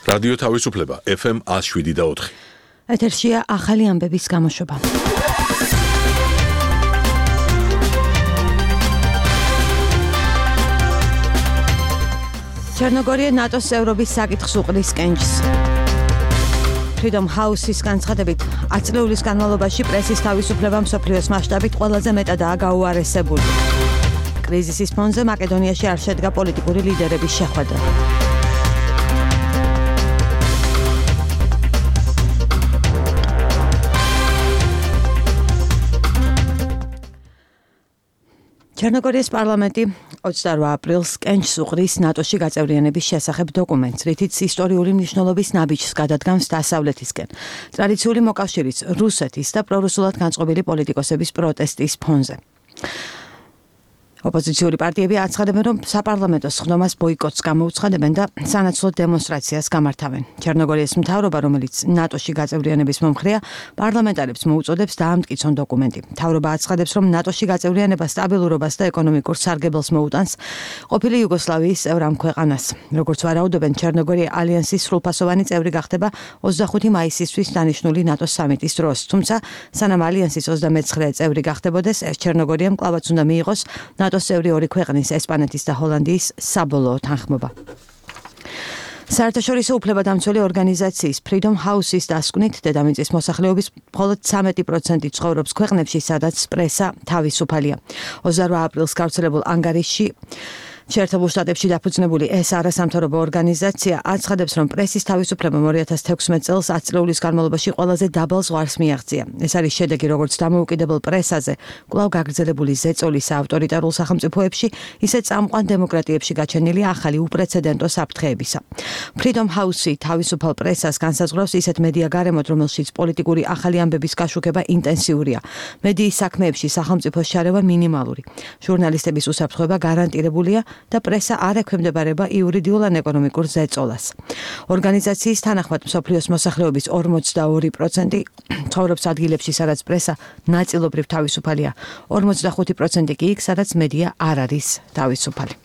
რადიო თავისუფლება FM 107.4. ეთერშია ახალი ამბების გამოშვება. ჩერნოგორია ნატოს წევრობის საკითხს უყრის კენჭს. Freedom House-ის განცხადებით, 10 წლების განმავლობაში პრესის თავისუფლება მსოფლიოს მასშტაბით ყველაზე მეტადაა გაუარესებული. კრიზისის ფონზე მაკედონიაში არ შედგა პოლიტიკური ლიდერების შეხვედრა. ჩერნოგორიის პარლამენტი 28 აპრილს კენჭს უყრის ნატოში გაწევრიანების შესახებ დოკუმენტს, რითიც ისტორიული მნიშვნელობის ნაბიჯს გადადგამს დასავლეთისკენ. ტრადიციული მოკავშირის რუსეთის და პრორუსულად განწყობილი პოლიტიკოსების პროტესტის ფონზე. ოპოზიციური პარტიები აცხადებენ, რომ საპარლამენტო სხდომას ბოიკოტს გამოუცხადებენ და სანაცვლოდ დემონსტრაციას გამართავენ. ჩერნოგორიის მთავრობა, რომელიც ნატოში გაწევრიანების მომხრეა, პარლამენტარებს მოუწოდებს დაამტკიცონ დოკუმენტი. მთავრობა აცხადებს, რომ ნატოში გაწევრიანება სტაბილურობას და ეკონომიკურ სარგებელს მოუტანს ყოფილი იუგოსლავიის წევრ ამ ქვეყანას. როგორც ვარაუდობენ, ჩერნოგორია ალიანსის სრულფასოვანი წევრი გახდება 25 მაისისთვის დანიშნული ნატოს სამიტის დროს. თუმცა, სანამ ალიანსის 29 წევრი გახდებოდეს, ჩერნოგორიამ კვლავაც უნდა მიიღოს ნატოს წევრი ორი ქვეყნის, ესპანეთის და ჰოლანდიის საბოლოო თანხმობა. საერთაშორისო უფლებადამცველი ორგანიზაციის Freedom House-ის დასკვნით, დედამიწის მოსახლეობის მხოლოდ 13% ცხოვრობს ქვეყნებში, სადაც პრესა თავისუფალია. 28 აპრილს გავრცელებულ ანგარიშში შეერთებულ შტატებში დაფუძნებული ეს არასამთავრობო ორგანიზაცია აცხადებს, რომ პრესის თავისუფლება 2016 წელს 10 წლების განმავლობაში ყველაზე დაბალ ზღვარს მიაღწია. ეს არის შედეგი როგორც დამოუკიდებელ პრესაზე, კვლავ გაგრძელებული ზეწოლის ავტორიტარულ სახელმწიფოებში, ისე წამყვან დემოკრატიებში გაჩენილი ახალი უპრეცედენტო საფრთხეებისა. Freedom House-ი თავისუფალ პრესას განსაზღვრავს ისეთ მედია გარემოთ, რომელშიც პოლიტიკური ახალი ამბების გაშუქება ინტენსიურია. მედიის საქმეებში სახელმწიფოს შარევა მინიმალური. ჟურნალისტების უსაფრთხოება გარანტირებულია და პრესა არ ექვემდებარება იურიდიულ ან ეკონომიკურ ზეწოლას. ორგანიზაციის თანახმად მსოფლიოს მოსახლეობის 42% ცხოვრობს ადგილებში, სადაც პრესა ნაწილობრივ თავისუფალია, 45% კი იქ, სადაც მედია არ არის თავისუფალი.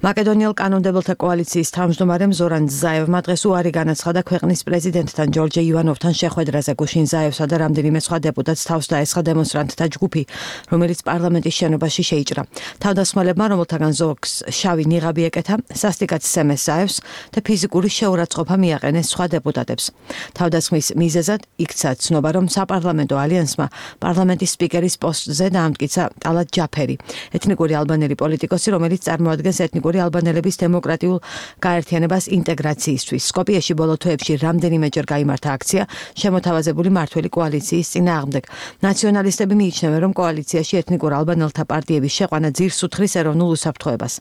მაკედონიელ კანონმდებელთა კოალიციის თავმჯდომარემ ზორან ზაევმა დღეს უარი განაცხადა ქვეყნის პრეზიდენტთან ჯორჯ ივანოვთან შეხვედრაზე. გუშინ ზაევსა და რამდენიმე სხვა დეპუტატს თავს დაესხა დემონსტრანტთა ჯგუფი, რომელიც პარლამენტის შენობაში შეიჭრა. თავდასხმელებმა, რომელთაგან ზოგს შავი ნიღაბი ეკეთა, სასტიკად სცემეს ზაევს და ფიზიკური შეურაცხყოფა მიაყენეს სხვა დეპუტატებს. თავდასხმის მიზეზად იქცა ცნობა, რომ საპარლამენტო ალიანსმა პარლამენტის სპიკერის პოსტზე დაამტკიცა ტალატ ჯაფერი, ეთნიკური ალბანელი პოლიტიკოსი, რომელიც წარმოადგენს ეთნიკური ალბანელების დემოკრატიულ გაერთიანებას ინტეგრაციისთვის. სკოპიეში ბოლო თვეებში რამდენიმეჯერ გაიმართა აქცია შემოთავაზებული მართველი კოალიციის წინააღმდეგ. ნაციონალისტები მიიჩნევენ, რომ კოალიციაში ეთნიკურ ალბანელთა პარტიების შეყვანა ძირს უთხრის ეროვნულ უსაფრთხოებას.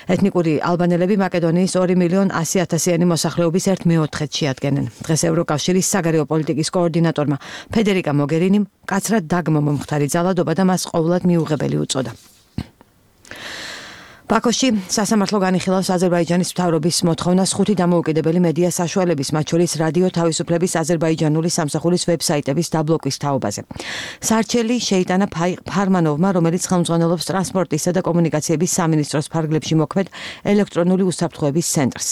ეთნიკური ალბანელები მაკედონიის 2.100.000-იანი მოსახლეობის 1/4-ს შეადგენენ. დღეს ევროკავშირის საგარეო პოლიტიკის კოორდინატორმა ფედერიკა მოგერინიმ მკაცრად დაგმო მომხდარი ძალადობა და მას ყოვლად მიუღებელი უწოდა. ბაქოში სასამართლო განიხილავს აზერბაიჯანის მთავრობის მოთხოვნას 5 დამოუკიდებელი მედია საშუალების, მათ შორის რადიო თავისუფლების აზერბაიჯანული სამსახურის ვებსაიტების დაბლოკვის თაობაზე. სარჩელი შეიტანა ფარმანოვმა, რომელიც ხელმძღვანელობს ტრანსპორტისა და კომუნიკაციების სამინისტროს ფარგლებში მოქმედ ელექტრონული უსაფრთხოების ცენტრს.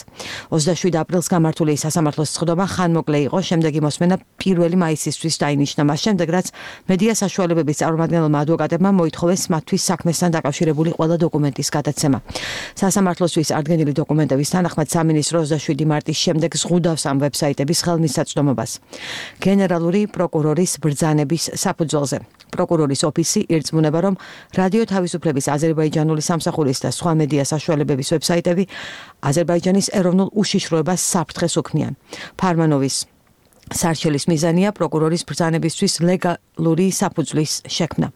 27 აპრილს გამართული სასამართლოს სხდომა ხანმოკლე იყო, შემდეგი მოსმენა 1 მაისისთვის დაინიშნა, მას შემდეგ რაც მედია საშუალებების წარმომადგენელმა ადვოკატებმა მოითხოვეს მათთვის საქმესთან დაკავშირებული ყველა დოკუმენტის გადაცემა. სასამართლოსთვის ადგენილი დოკუმენტების თანახმად სამინისტრო 27 მარტის შემდეგ ზღუდავს ამ ვებსაიტების ხელმისაწვდომობას. გენერალური პროკურორის ბრძანების საფუძველზე პროკურორის ოფისი ირწმუნება, რომ რადიო თავისუფლების აზერბაიჯანული სამსახურის და სხვა მედია საშუალებების ვებსაიტები აზერბაიჯანის ეროვნულ უშიშროებას საფრთხეს უქმნიან. ფარმანოვის სარჩელის მიზანია პროკურორის ბრძანებისთვის ლეგალური საფუძვლის შექმნა.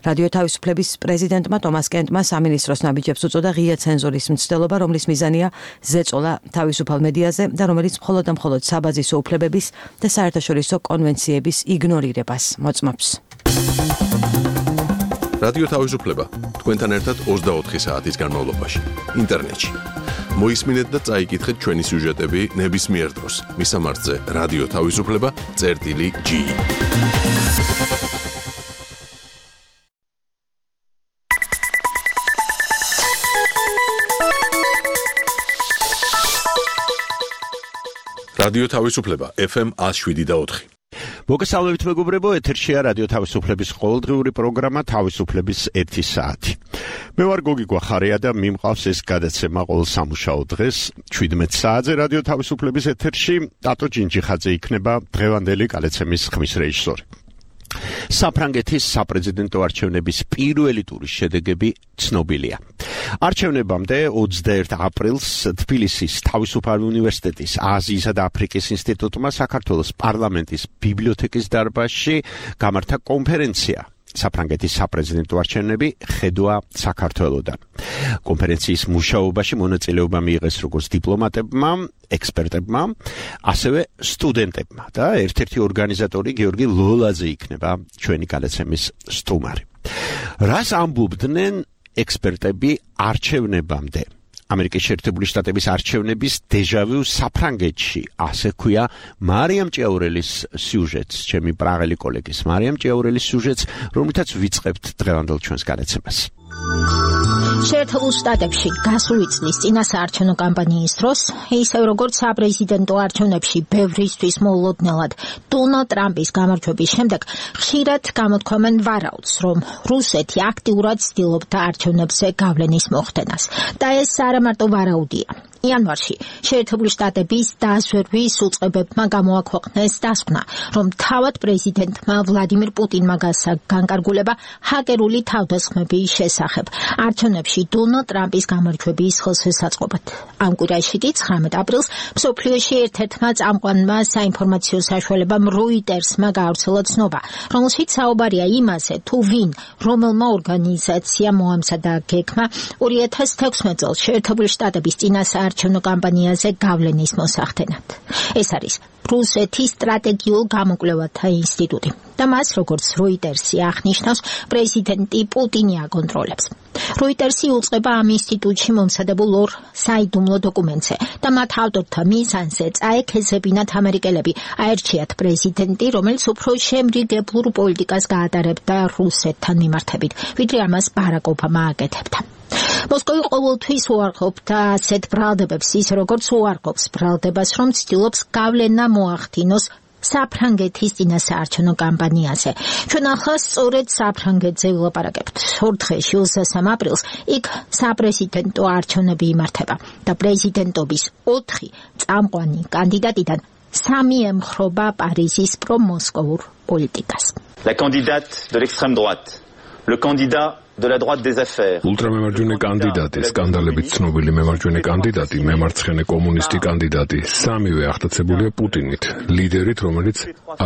რადიო თავისუფლების პრეზიდენტმა ტომას კენტმა სამინისტროს ნაბიჯებს უწოდა ღია ცენზურის მცდელობა, რომლის მიზანია ზეწოლა თავისუფალ მედიაზე და რომელიც მხოლოდ და მხოლოდ საბაზისო უფლებების და საერთაშორისო კონვენციების იგნორირებას მოწმობს. რადიო თავისუფლება თქვენთან ერთად 24 საათის განმავლობაში ინტერნეტში. მოისმინეთ და წაიკითხეთ ჩვენი სიუჟეტები ნებისმიერ დროს. მისამართზე რადიო თავისუფლება.g რადიო თავისუფლება FM 107.4. მოგესალმებით მეგობრებო, ეთერშია რადიო თავისუფლების ყოველდღიური პროგრამა თავისუფლების 1 საათი. მე ვარ გოგი გვახარია და მიმყავს ეს გადაცემა ყოველ სამუშაო დღეს 17 საათზე რადიო თავისუფლების ეთერში. ტატო ჯინჯიხაძე იქნება დღევანდელი გადაცემის ხმის რეჟისორი. საფრანგეთის საპრეზიდენტო არჩევნების პირველი ტურის შედეგები ცნობილია. არჩევნებამდე 21 აპრილს თბილისის თავისუფალი უნივერსიტეტის აზიისა და აფრიკის ინსტიტუტმა საქართველოს პარლამენტის ბიბლიოთეკის დარბაზში გამართა კონფერენცია საფრანგეთის საპრეზიდენტო არჩევნები ხედვა საქართველოდან. კონფერენციის მუშაობაში მონაწილეობა მიიღეს როგორც დიპლომატებმა, ექსპერტებმა, ასევე სტუდენტებმა და ერთ-ერთი ორგანიზატორი გიორგი ლოლაძე იქნება ჩვენი გადაცემის სტუმარი. რას ამბობდნენ ექსპერტები არჩევნებამდე? ამერიკის შეერთებული შტატების არჩევნების დეჟავიუ საფრანგეთში, ასე ქვია მარიამ ჭიაურელის სიუჟეტს, ჩემი პრაღელი კოლეგის მარიამ ჭიაურელის სიუჟეტს, რომლითაც ვიწყებთ დღევანდელ ჩვენს გადაცემას. შეერთებულ შტატებში გასული წლის წინასაარჩევნო კამპანიის დროს, ისევ როგორც საპრეზიდენტო არჩევნებში ბევრისთვის მოულოდნელად დონალდ ტრამპის გამარჯვების შემდეგ, ხშირად გამოთქვამენ ვარაუდს, რომ რუსეთი აქტიურად ცდილობდა არჩევნებზე გავლენის მოხდენას. და ეს არა მარტო ვარაუდია. იანვარში შეერთებული შტატების დაზვერვის უწყებებმა გამოაქვეყნეს დასკვნა, რომ თავად პრეზიდენტმა ვლადიმირ პუტინმა გასცა განკარგულება ჰაკერული თავდასხმების შესახებ არჩევნებში დონალდ ტრამპის გამარჯვების ხელშესაწყობად. ამ კვირაში კი 19 აპრილს მსოფლიოში ერთ-ერთმა წამყვანმა საინფორმაციო საშუალებამ როიტერსმა გაავრცელა ცნობა, რომელშიც საუბარია იმაზე, თუ ვინ, რომელმა ორგანიზაციამ მოამზადა გეგმა 2016 წელს შეერთებული შტატების წინასაარჩევნო კამპანიაზე გავლენის მოსახდენად. ეს არის რუსეთის სტრატეგიულ გამოკვლევათა ინსტიტუტი და მას, როგორც როიტერსი აღნიშნავს, პრეზიდენტი პუტინი აკონტროლებს. როიტერსი უწყება ამ ინსტიტუტში მომზადებულ ორ საიდუმლო დოკუმენტზე და მათ ავტორთა მიზანზე წაექეზებინათ ამერიკელები, აერჩიათ პრეზიდენტი, რომელიც უფრო შემრიგებლურ პოლიტიკას გაატარებდა რუსეთთან მიმართებით, ვიდრე ამას ბარაკ ობამა აკეთებდა. მოსკოვი ყოველთვის უარყოფდა ასეთ ბრალდებებს, ისე როგორც უარყოფს ბრალდებას, რომ ცდილობს გავლენა მოახდინოს საფრანგეთის წინასაარჩევნო კამპანიაზე. ჩვენ ახლა სწორედ საფრანგეთზე ვილაპარაკებთ. 2 დღეში 23 აპრილს იქ საპრეზიდენტო არჩევნები იმართება და პრეზიდენტობის 4 წამყვანი კანდიდატიდან 3 ემხრობა პარიზის პრომოსკოვურ პოლიტიკას. La candidate de l'extrême droite, le candidat de la droite des affaires. Ultramemარჯვენე კანდიდატი, სკანდალებით ცნობილი მემარჯვენე კანდიდატი, მემარცხენე კომუნისტი კანდიდატი, სამივე აღტაცებულია პუტინით, ლიდერით, რომელიც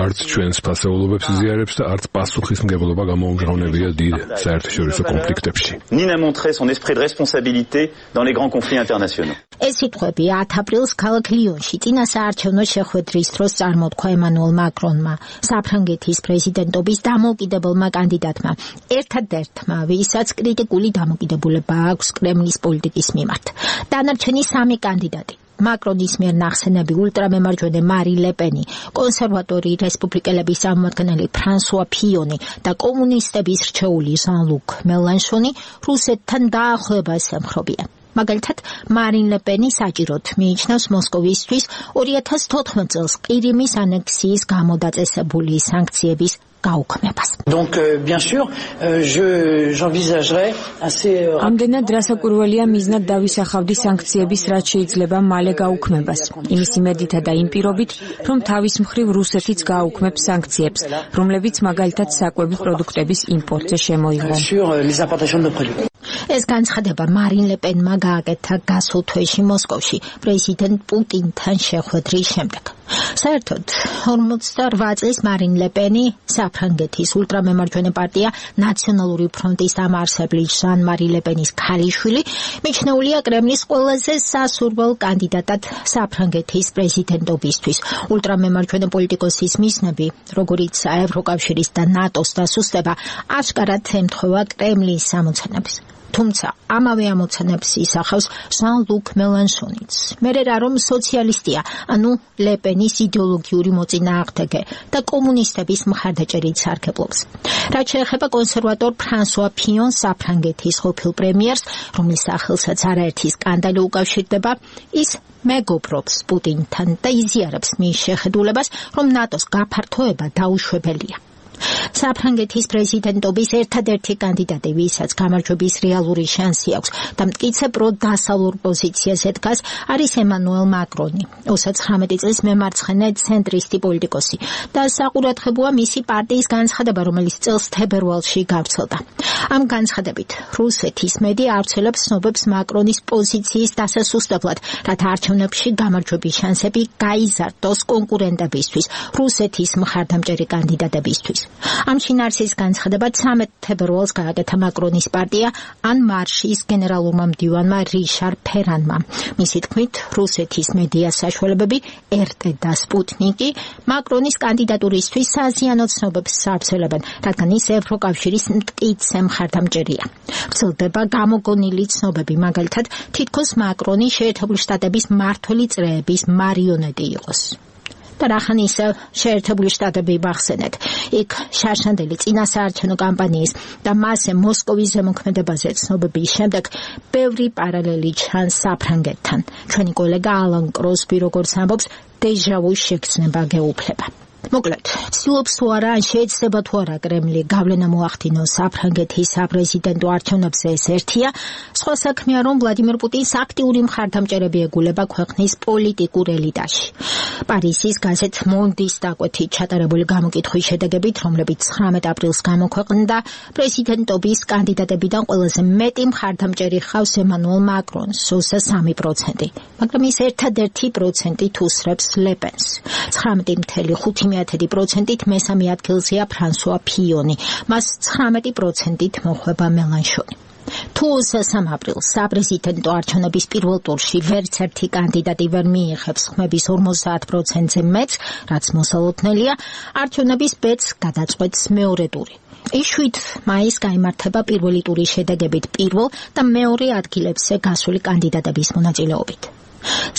არც ჩვენს ფასეულობებს იზიარებს და არც პასუხისმგებლობა გამოუმჟღავნებია დიდ საერთაშორისო კონფლიქტებში. Ni n'a montré son esprit de responsabilité dans les grands conflits internationaux. ეს სიტყვები 10 აპრილს ქალაქ ლიონში წინასაარჩევნო შეხვედრის დროს წარმოთქვა ემანუელ მაკრონმა, საფრანგეთის პრეზიდენტობის დამოუკიდებელმა კანდიდატმა, ერთადერთმა, ვისაც კრიტიკული დამოკიდებულება აქვს კრემლის პოლიტიკის მიმართ. დანარჩენი 3 კანდიდატი მაკრონის მიერ ნახსენები ულტრამემარჯვენე მარი ლეპენი, კონსერვატორი რესპუბლიკელების წარმომადგენელი ფრანსუა ფიონი და კომუნისტების რჩეული ჟან-ლუკ მელანშონი რუსეთთან დაახლოებას ემხრობიან. მაგალითად, მარინ ლეპენი საჭიროდ მიიჩნევს მოსკოვისთვის 2014 წელს ყირიმის ანექსიის გამოდაწესებული სანქციების გაუქმებას. Donc bien sûr, j'envisagerais assez ამდენად რასაკვირველია მიზნად დავისახავდი სანქციების რაც შეიძლება მალე გაუქმებას. იმის იმედითა და იმ პირობით, რომ თავის მხრივ რუსეთიც გააუქმებს სანქციებს, რომლებიც მაგალითად საკვები პროდუქტების იმპორტზე შემოიღო. sur les importations de produits. ეს განცხადება მარინ ლეპენმა გააკეთა გასულ თვეში მოსკოვში პრეზიდენტ პუტინთან შეხვედრის შემდეგ. საერთოდ 48 წლის მარინ ლეპენი საფრანგეთის ულტრამემარჯვენე პარტია ნაციონალური ფრონტის დამაარსებელი ჟან-მარი ლეპენის ქალიშვილი მიჩნეულია კრემლის ყველაზე სასურველ კანდიდატად საფრანგეთის პრეზიდენტობისთვის. ულტრამემარჯვენე პოლიტიკოსის მიზნები, როგორიც ევროკავშირის და ნატოს დასუსტება, აშკარად ემთხვევა კრემლის სამოცანებს. თუმცა ამავე ამოცანებს ისახავს ჟან-ლუკ მელანშონიც. მერე რა რომ სოციალისტია, ანუ ლეპენის იდეოლოგიური მოწინააღმდეგე და კომუნისტების მხარდაჭერით სარგებლობს. რაც შეეხება კონსერვატორ ფრანსუა ფიონს, საფრანგეთის ყოფილ პრემიერს, რომლის სახელსაც არაერთი სკანდალი უკავშირდება, ის მეგობრობს პუტინთან და იზიარებს მის შეხედულებას, რომ ნატოს გაფართოება დაუშვებელია. საფრანგეთის პრეზიდენტობის ერთადერთი კანდიდატი, ვისაც გამარჯვების რეალური შანსი აქვს და მტკიცე პროდასავლურ პოზიციაზე დგას, არის ემანუელ მაკრონი, 29 წლის მემარცხენე ცენტრისტი პოლიტიკოსი და საყურადღებოა მისი პარტიის განცხადება, რომელიც წელს თებერვალში გავრცელდა. ამ განცხადებით რუსეთის მედია ავრცელებს ცნობებს მაკრონის პოზიციის დასასუსტებლად, რათა არჩევნებში გამარჯვების შანსები გაიზარდოს კონკურენტებისთვის, რუსეთის მხარდამჭერი კანდიდატებისთვის. ამ შინაარსის განცხადება 13 თებერვალს გააკეთა მაკრონის პარტია ან მარშის გენერალურმა მდივანმა რიშარ ფერანმა. მისი თქმით, რუსეთის მედია საშუალებები RT და სპუტნიკი მაკრონის კანდიდატურისთვის საზიანო ცნობებს საავრცელებენ, რადგან ის ევროკავშირის მტკიცე მხარდამჭერია. ვრცელდება გამოგონილი ცნობები, მაგალითად, თითქოს მაკრონი შეერთებული შტატების მმართველი წრეების მარიონეტი იყოს. და რახან ისევ შეერთებული შტატები ვახსენეთ. იქ შარშანდელი წინასაარჩევნო კამპანიის და მასზე მოსკოვის ზემოქმედებაზე ცნობების შემდეგ ბევრი პარალელი ჩანს საფრანგეთთან. ჩვენი კოლეგა ალან კროსბი როგორც ამბობს, დეჟავუს შეგრძნება გეუფლება. მოკლედ, ცდილობს თუ არა, ან შეიძლება თუ არა კრემლი გავლენა მოახდინოს საფრანგეთის საპრეზიდენტო არჩევნებზე, ეს ერთია. სხვა საქმეა, რომ ვლადიმერ პუტინს აქტიური მხარდამჭერები ეგულება ქვეყნის პოლიტიკურ ელიტაში. პარიზის გაზეთ მონდის დაკვეთით ჩატარებული გამოკითხვის შედეგებით, რომლებიც 19 აპრილს გამოქვეყნდა, პრეზიდენტობის კანდიდატებიდან ყველაზე მეტი მხარდამჭერი ხავს ემანუელ მაკრონს, 23%, მაგრამ ის ერთადერთი პროცენტით უსრებს ლეპენს. 19,5%-ით მესამე ადგილზეა ფრანსუა ფიონი, მას 19%-ით მოხვება მელანშონი. თუ 23 აპრილს საპრეზიდენტო არჩევნების პირველ ტურში ვერც ერთი კანდიდატი ვერ მიიღებს ხმების 50%-ზე მეტს, რაც მოსალოდნელია, არჩევნების ბედს გადაწყვეტს მეორე ტური. ის 7 მაისს გაიმართება პირველი ტურის შედეგებით პირველ და მეორე ადგილებზე გასული კანდიდატების მონაწილეობით.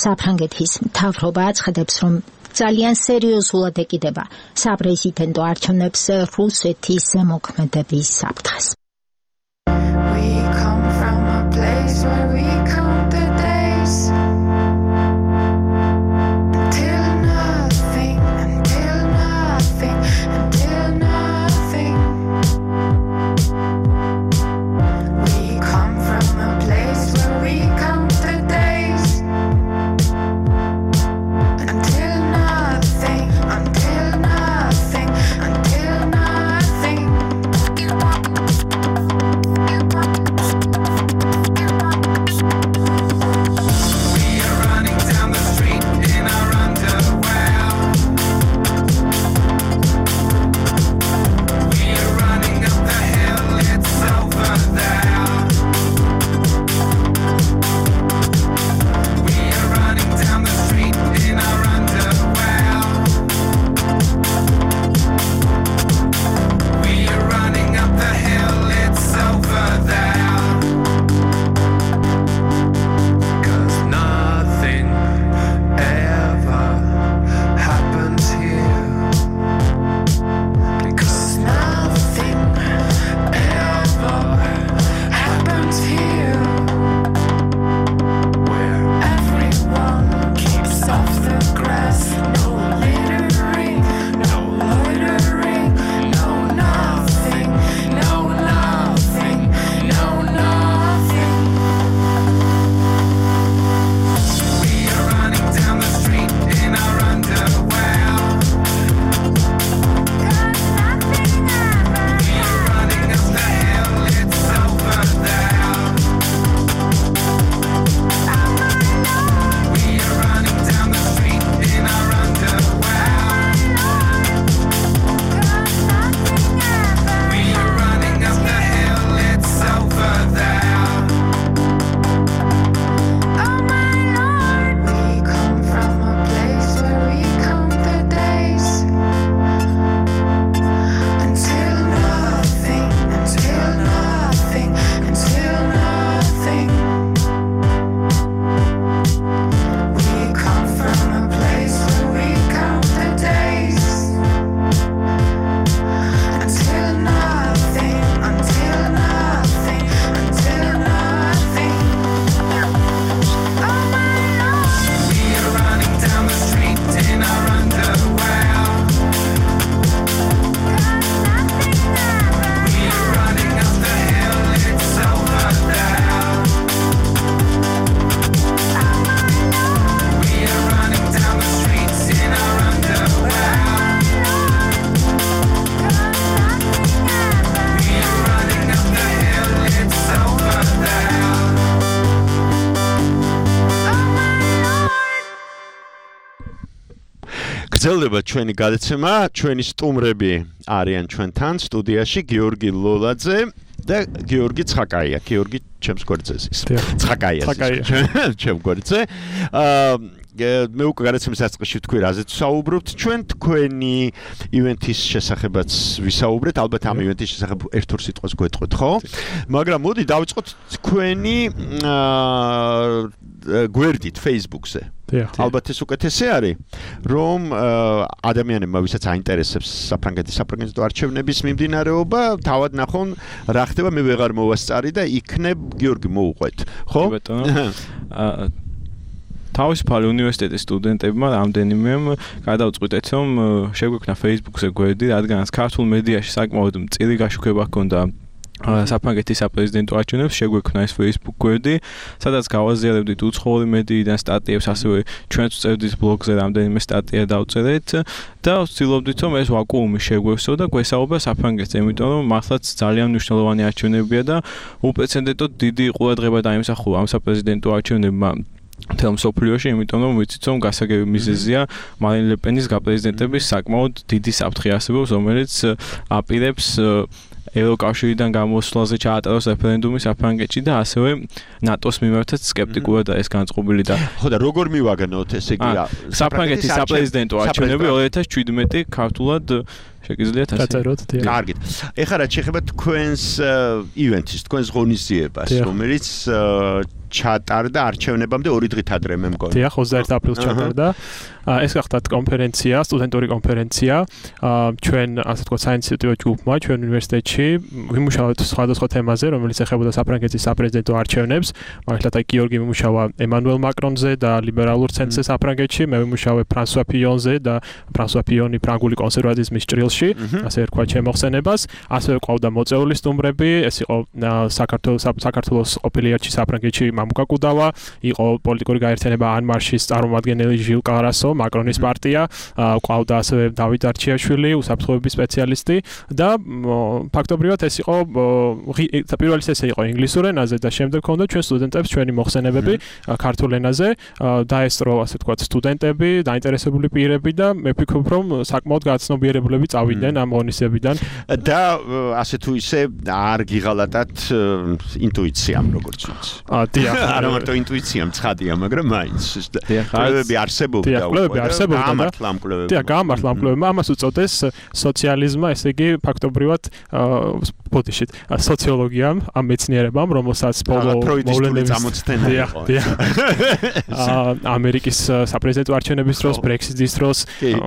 საფრანგეთის მთავრობა აცხადებს, რომ ძალიან სერიოზულად ეკიდება საპრეზიდენტო არჩევნებს რუსეთის ზემოქმედების საფრთხეს. გრძელდება ჩვენი გადაცემა, ჩვენი სტუმრები არიან ჩვენთან სტუდიაში გიორგი ლოლაძე და გიორგი ცხაკაია. გიორგი ჩემს გვერდზეა. ცხაკაია. ჩემ გვერდზე. მე უკვე გადაცემის დასაწყისში ვთქვი, რაზეც ვსაუბრობთ. ჩვენ თქვენი ივენთის შესახებაც ვისაუბრეთ, ალბათ ამ ივენთის შესახებ ერთ-ორ სიტყვას გვეტყვით, ხო? მაგრამ მოდი დავიწყოთ თქვენი გვერდით Facebook-ზე. ალბათ ეს უკეთესი არის, რომ ადამიანებმა, ვისაც აინტერესებს საფრანგეთის საპრეზიდენტო არჩევნების მიმდინარეობა, თავად ნახონ რა ხდება, მე ვეღარ მოვასწარი და იქნებ გიორგი მოუყვეთ, ხო? თავისუფალი უნივერსიტეტის სტუდენტებმა რამდენიმემ გადავწყვიტეთ, რომ შეგვექმნა Facebook-ზე გვერდი, რადგანაც ქართულ მედიაში საკმაოდ მწირი გაშუქება ჰქონდა საფრანგეთის საპრეზიდენტო არჩევნებს, შეგვექმნა ეს Facebook გვერდი, სადაც გავაზიარებდით უცხოური მედიიდან სტატიებს, ასევე ჩვენც ვწერდით ბლოგზე რამდენიმე სტატია დავწერეთ და ვცდილობდით, რომ ეს ვაკუუმი შეგვევსო და გვესაუბრა საფრანგეთზე, იმიტომ რომ მართლაც ძალიან მნიშვნელოვანი არჩევნებია და უპრეცედენტოდ დიდი ყურადღება დაიმსახურა ამ საპრეზიდენტო არჩევნებმა თელ მსოფლიოში, იმიტომ რომ ვიცით, რომ გასაგები მიზეზია მარინ ლე პენის გაპრეზიდენტების საკმაოდ დიდი საფრთხე არსებობს, რომელიც აპირებს ევროკავშირიდან გამოსვლაზე ჩაატაროს რეფერენდუმი საფრანგეთში და ასევე ნატოს მიმართაც სკეპტიკურად არის განწყობილი და ხო და როგორ მივაგნოთ ესე იგი საფრანგეთის საპრეზიდენტო არჩევნები 2017 ქართულად შეგიძლიათ ასე დაწეროთ. კარგით. ეხლა რა შეეხება თქვენს ივენთის, თქვენს ღონისძიებას, რომელიც ჩატარდა არჩევნებამდე 2 დღით ადრე მე მგონი. დიახ, 21 აპრილს ჩატარდა. ეს გახდათ კონფერენცია, სტუდენტური კონფერენცია. ჩვენ ასე თქვა საინიციატივო ჯგუფმა ჩვენ უნივერსიტეტში ვიმუშავეთ სხვადასხვა თემაზე, რომელიც ეხებოდა საფრანგეთის საპრეზიდენტო არჩევნებს. მაგალითად, გიორგი ვიმუშავა ემანუელ მაკრონზე და ლიბერალურ ცენტრზე საფრანგეთში, მე ვიმუშავე ფრანსუა პიონზე და ფრანსუა პიონი ფრანგული კონსერვატიზმის ჭრილში, ასე ვქვა ჩემოხსენებას. ასევე ყავდა მოწეული სტუმრები, ეს იყო საქართველოს ყოფილი ელჩი საფრანგეთში მამუკა კუდავა, იყო პოლიტიკური გაერთიანება ანმარშის წარმომადგენელი ჟილ კარასო, მაკრონის პარტია, ყავდა ასევე დავით არჩიაშვილი, უსაფრთხოების სპეციალისტი და ფაქტობრივად ეს იყო პირველი სესია იყო ინგლისურ ენაზე და შემდეგ ჰქონდა ჩვენ სტუდენტებს ჩვენი მოხსენებები ქართულ ენაზე, დაესწრო ასე ვთქვათ სტუდენტები, დაინტერესებული პირები და მე ვფიქრობ, რომ საკმაოდ გაცნობიერებულები წავიდნენ ამ ღონისძიებიდან და ასე თუ ისე არ გიღალატათ ინტუიციამ როგორც ვიცი. არა მარტო ინტუიციამ ცხადია, მაგრამ მაინც კვლევები არსებობდა გამართლა ამ კვლევებმა. დიახ, გამართლა ამ კვლევებმა, ამას უწოდეს სოციალიზმმა, ესე იგი ფაქტობრივად ბოდიშით სოციოლოგიამ, ამ მეცნიერებამ, რომელსაც ბოლო მოვლენების წამოწთენა იყო. ამერიკის საპრეზიდენტო არჩევნების დროს, ბრექსიტის დროს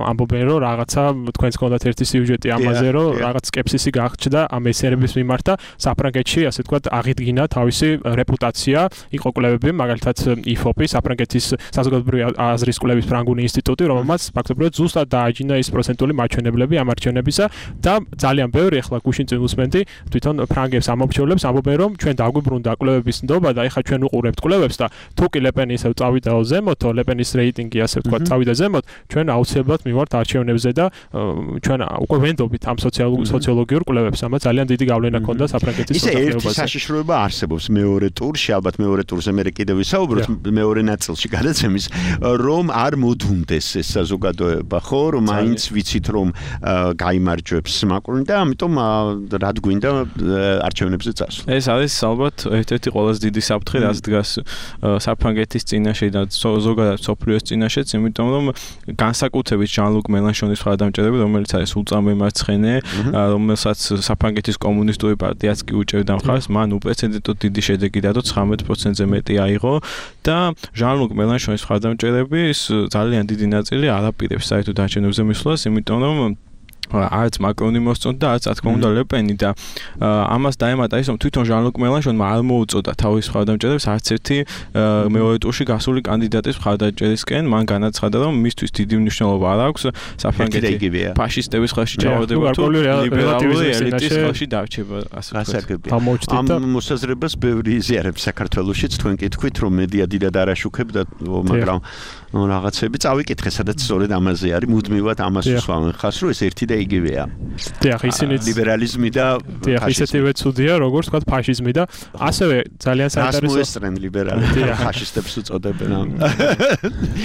ამბობენ, რომ რაღაცა თქვენს გქონდათ ერთი სიუჟეტი ამაზე, რომ რაღაც სკეპსისი გააჩნდა ამ მეცნიერების მიმართ და საფრანგეთში, ასე ვთქვათ, აღიდგინა თავისი რეპუტაცია. იყო კვლევები, მაგალითად IFOP-ის, საფრანგეთის საზოგადოებრივი აზრის კვლევის ფრანგული ინსტიტუტი, რომელმაც ფაქტობრივად ზუსტად დააჯინა ის პროცენტული მაჩვენებლები ამ არჩევნებისა და ძალიან ბევრი ახლა გუშინ წინ უსმენდი თვითონ ფრანგებს ამომრჩევლებს ამბობენ, რომ ჩვენ დაგვიბრუნდა კვლევების ნდობა და ეხლა ჩვენ უყურებთ კვლევებს და თუ კი ლე პენი ისევ წავიდა ზემოთო, ლე პენის რეიტინგი ასე ვთქვათ წავიდა ზემოთ, ჩვენ აუცილებლად მივართ არჩევნებზე და ჩვენ უკვე ვენდობით ამ სოციოლოგიურ კვლევებს, ამას ძალიან დიდი გავლენა ჰქონდა საფრანგეთის მოსახლეობაზე. ისე ერთი საშიშროება არსებობს მეორე ტურში, ალბათ მეორე ტურზე მე კიდევ ვისაუბროთ მეორე ნაწილში გადაცემის, რომ არ მოდუნდეს ეს საზოგადოება, ხო, რომ მაინც ვიცით რომ გაიმარჯვებს მაკრონი და ამიტომ რად გვინდა არჩევნებზე წასვლა. ეს არის ალბათ ერთ-ერთი ყველაზე დიდი საფრთხე, რაც დგას საფრანგეთის წინაშე და ზოგადად მსოფლიოს წინაშეც, იმიტომ რომ განსაკუთრებით ჟან-ლუკ მელანშონის მხარდამჭერები, რომელიც არის ულტრამემარცხენე, რომელსაც საფრანგეთის კომუნისტური პარტიაც კი უჭერდა მხარს, მან უპრეცედენტოდ დიდი შედეგი დადო, 19%-ზე მეტი აიღო და ჟან-ლუკ მელანშონის მხარდამჭერები ძალიან დიდი ნაწილი არ აპირებს საერთოდ არჩევნებზე მისვლას, იმიტომ რომ არც მაკრონი მოსწონდა და არც რა თქმა უნდა ლე პენი და ამას დაემატა ის რომ თვითონ ჟან-ლუკ მელანშონმა არ მოუწოდა თავის მხარდამჭერებს არც ერთი მეორე ტურში გასული კანდიდატის მხარდამჭერისკენ, მან განაცხადა რომ მისთვის დიდი მნიშვნელობა არ აქვს საფრანგეთის ფაშისტების ხელში ჩავარდება თუ ლიბერალური ელიტის ხელში დარჩება, ასე ვთქვათ. ამ მოსაზრებას ბევრი იზიარებს საქართველოშიც, თქვენ კი თქვით რომ მედია დიდად არ აშუქებდა, მაგრამ რაღაცები წავიკითხე, სადაც სწორედ ამაზე არის, მუდმივად ამას უსვამენ ხას, რომ ეს ერთი და იგივეა. დიახ, ისინიც ლიბერალიზმი და დიახ, ისეთივე ცუდია, როგორც თქვა ფაშიზმი და ასევე ძალიან საინტერესო ასმოესწრენ ლიბერალები ფაშისტებს უწოდებენ.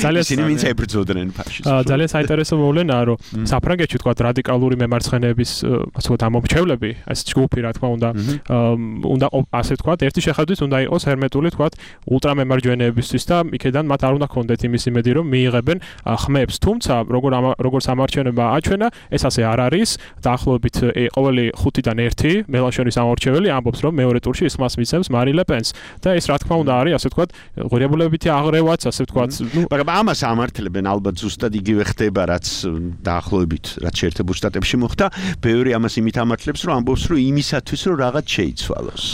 ძალიან ისინი ვინც ებრძოდნენ ფაშიზმს. ძალიან საინტერესო მოვლენაა, რომ საფრანგეთში თქვა რადიკალური მემარცხენეების ასე ვთქვათ ამომრჩევლები, ეს ჯგუფი რა თქმა უნდა ასე ვთქვათ, ერთი შეხედვით უნდა იყოს ჰერმეტული ვთქვათ ულტრამემარჯვენეებისთვის და იქედან მათ არ უნდა ქონდეთ იმის იმედი, რომ მიიღებენ ხმებს. თუმცა როგორც ამარჩევნება აჩვენა, ეს ასე არ არის. დაახლოებით ყოველი 5-დან 1 მელანშონის ამორჩეველი ამბობს, რომ მეორე ტურში ის ხმას მიცემს მარი ლე პენს. და ეს რა თქმა უნდა არის, ასე ვთქვათ, ღირებულებითი აღრევაც, ასე ვთქვათ, მაგრამ ამას ამართლებენ ალბათ ზუსტად იგივე ხდება, რაც დაახლოებით რაც შეერთებულ შტატებში მოხდა. ბევრი ამას იმით ამართლებს, რომ ამბობს, რომ იმისათვის, რომ რაღაც შეიცვალოს.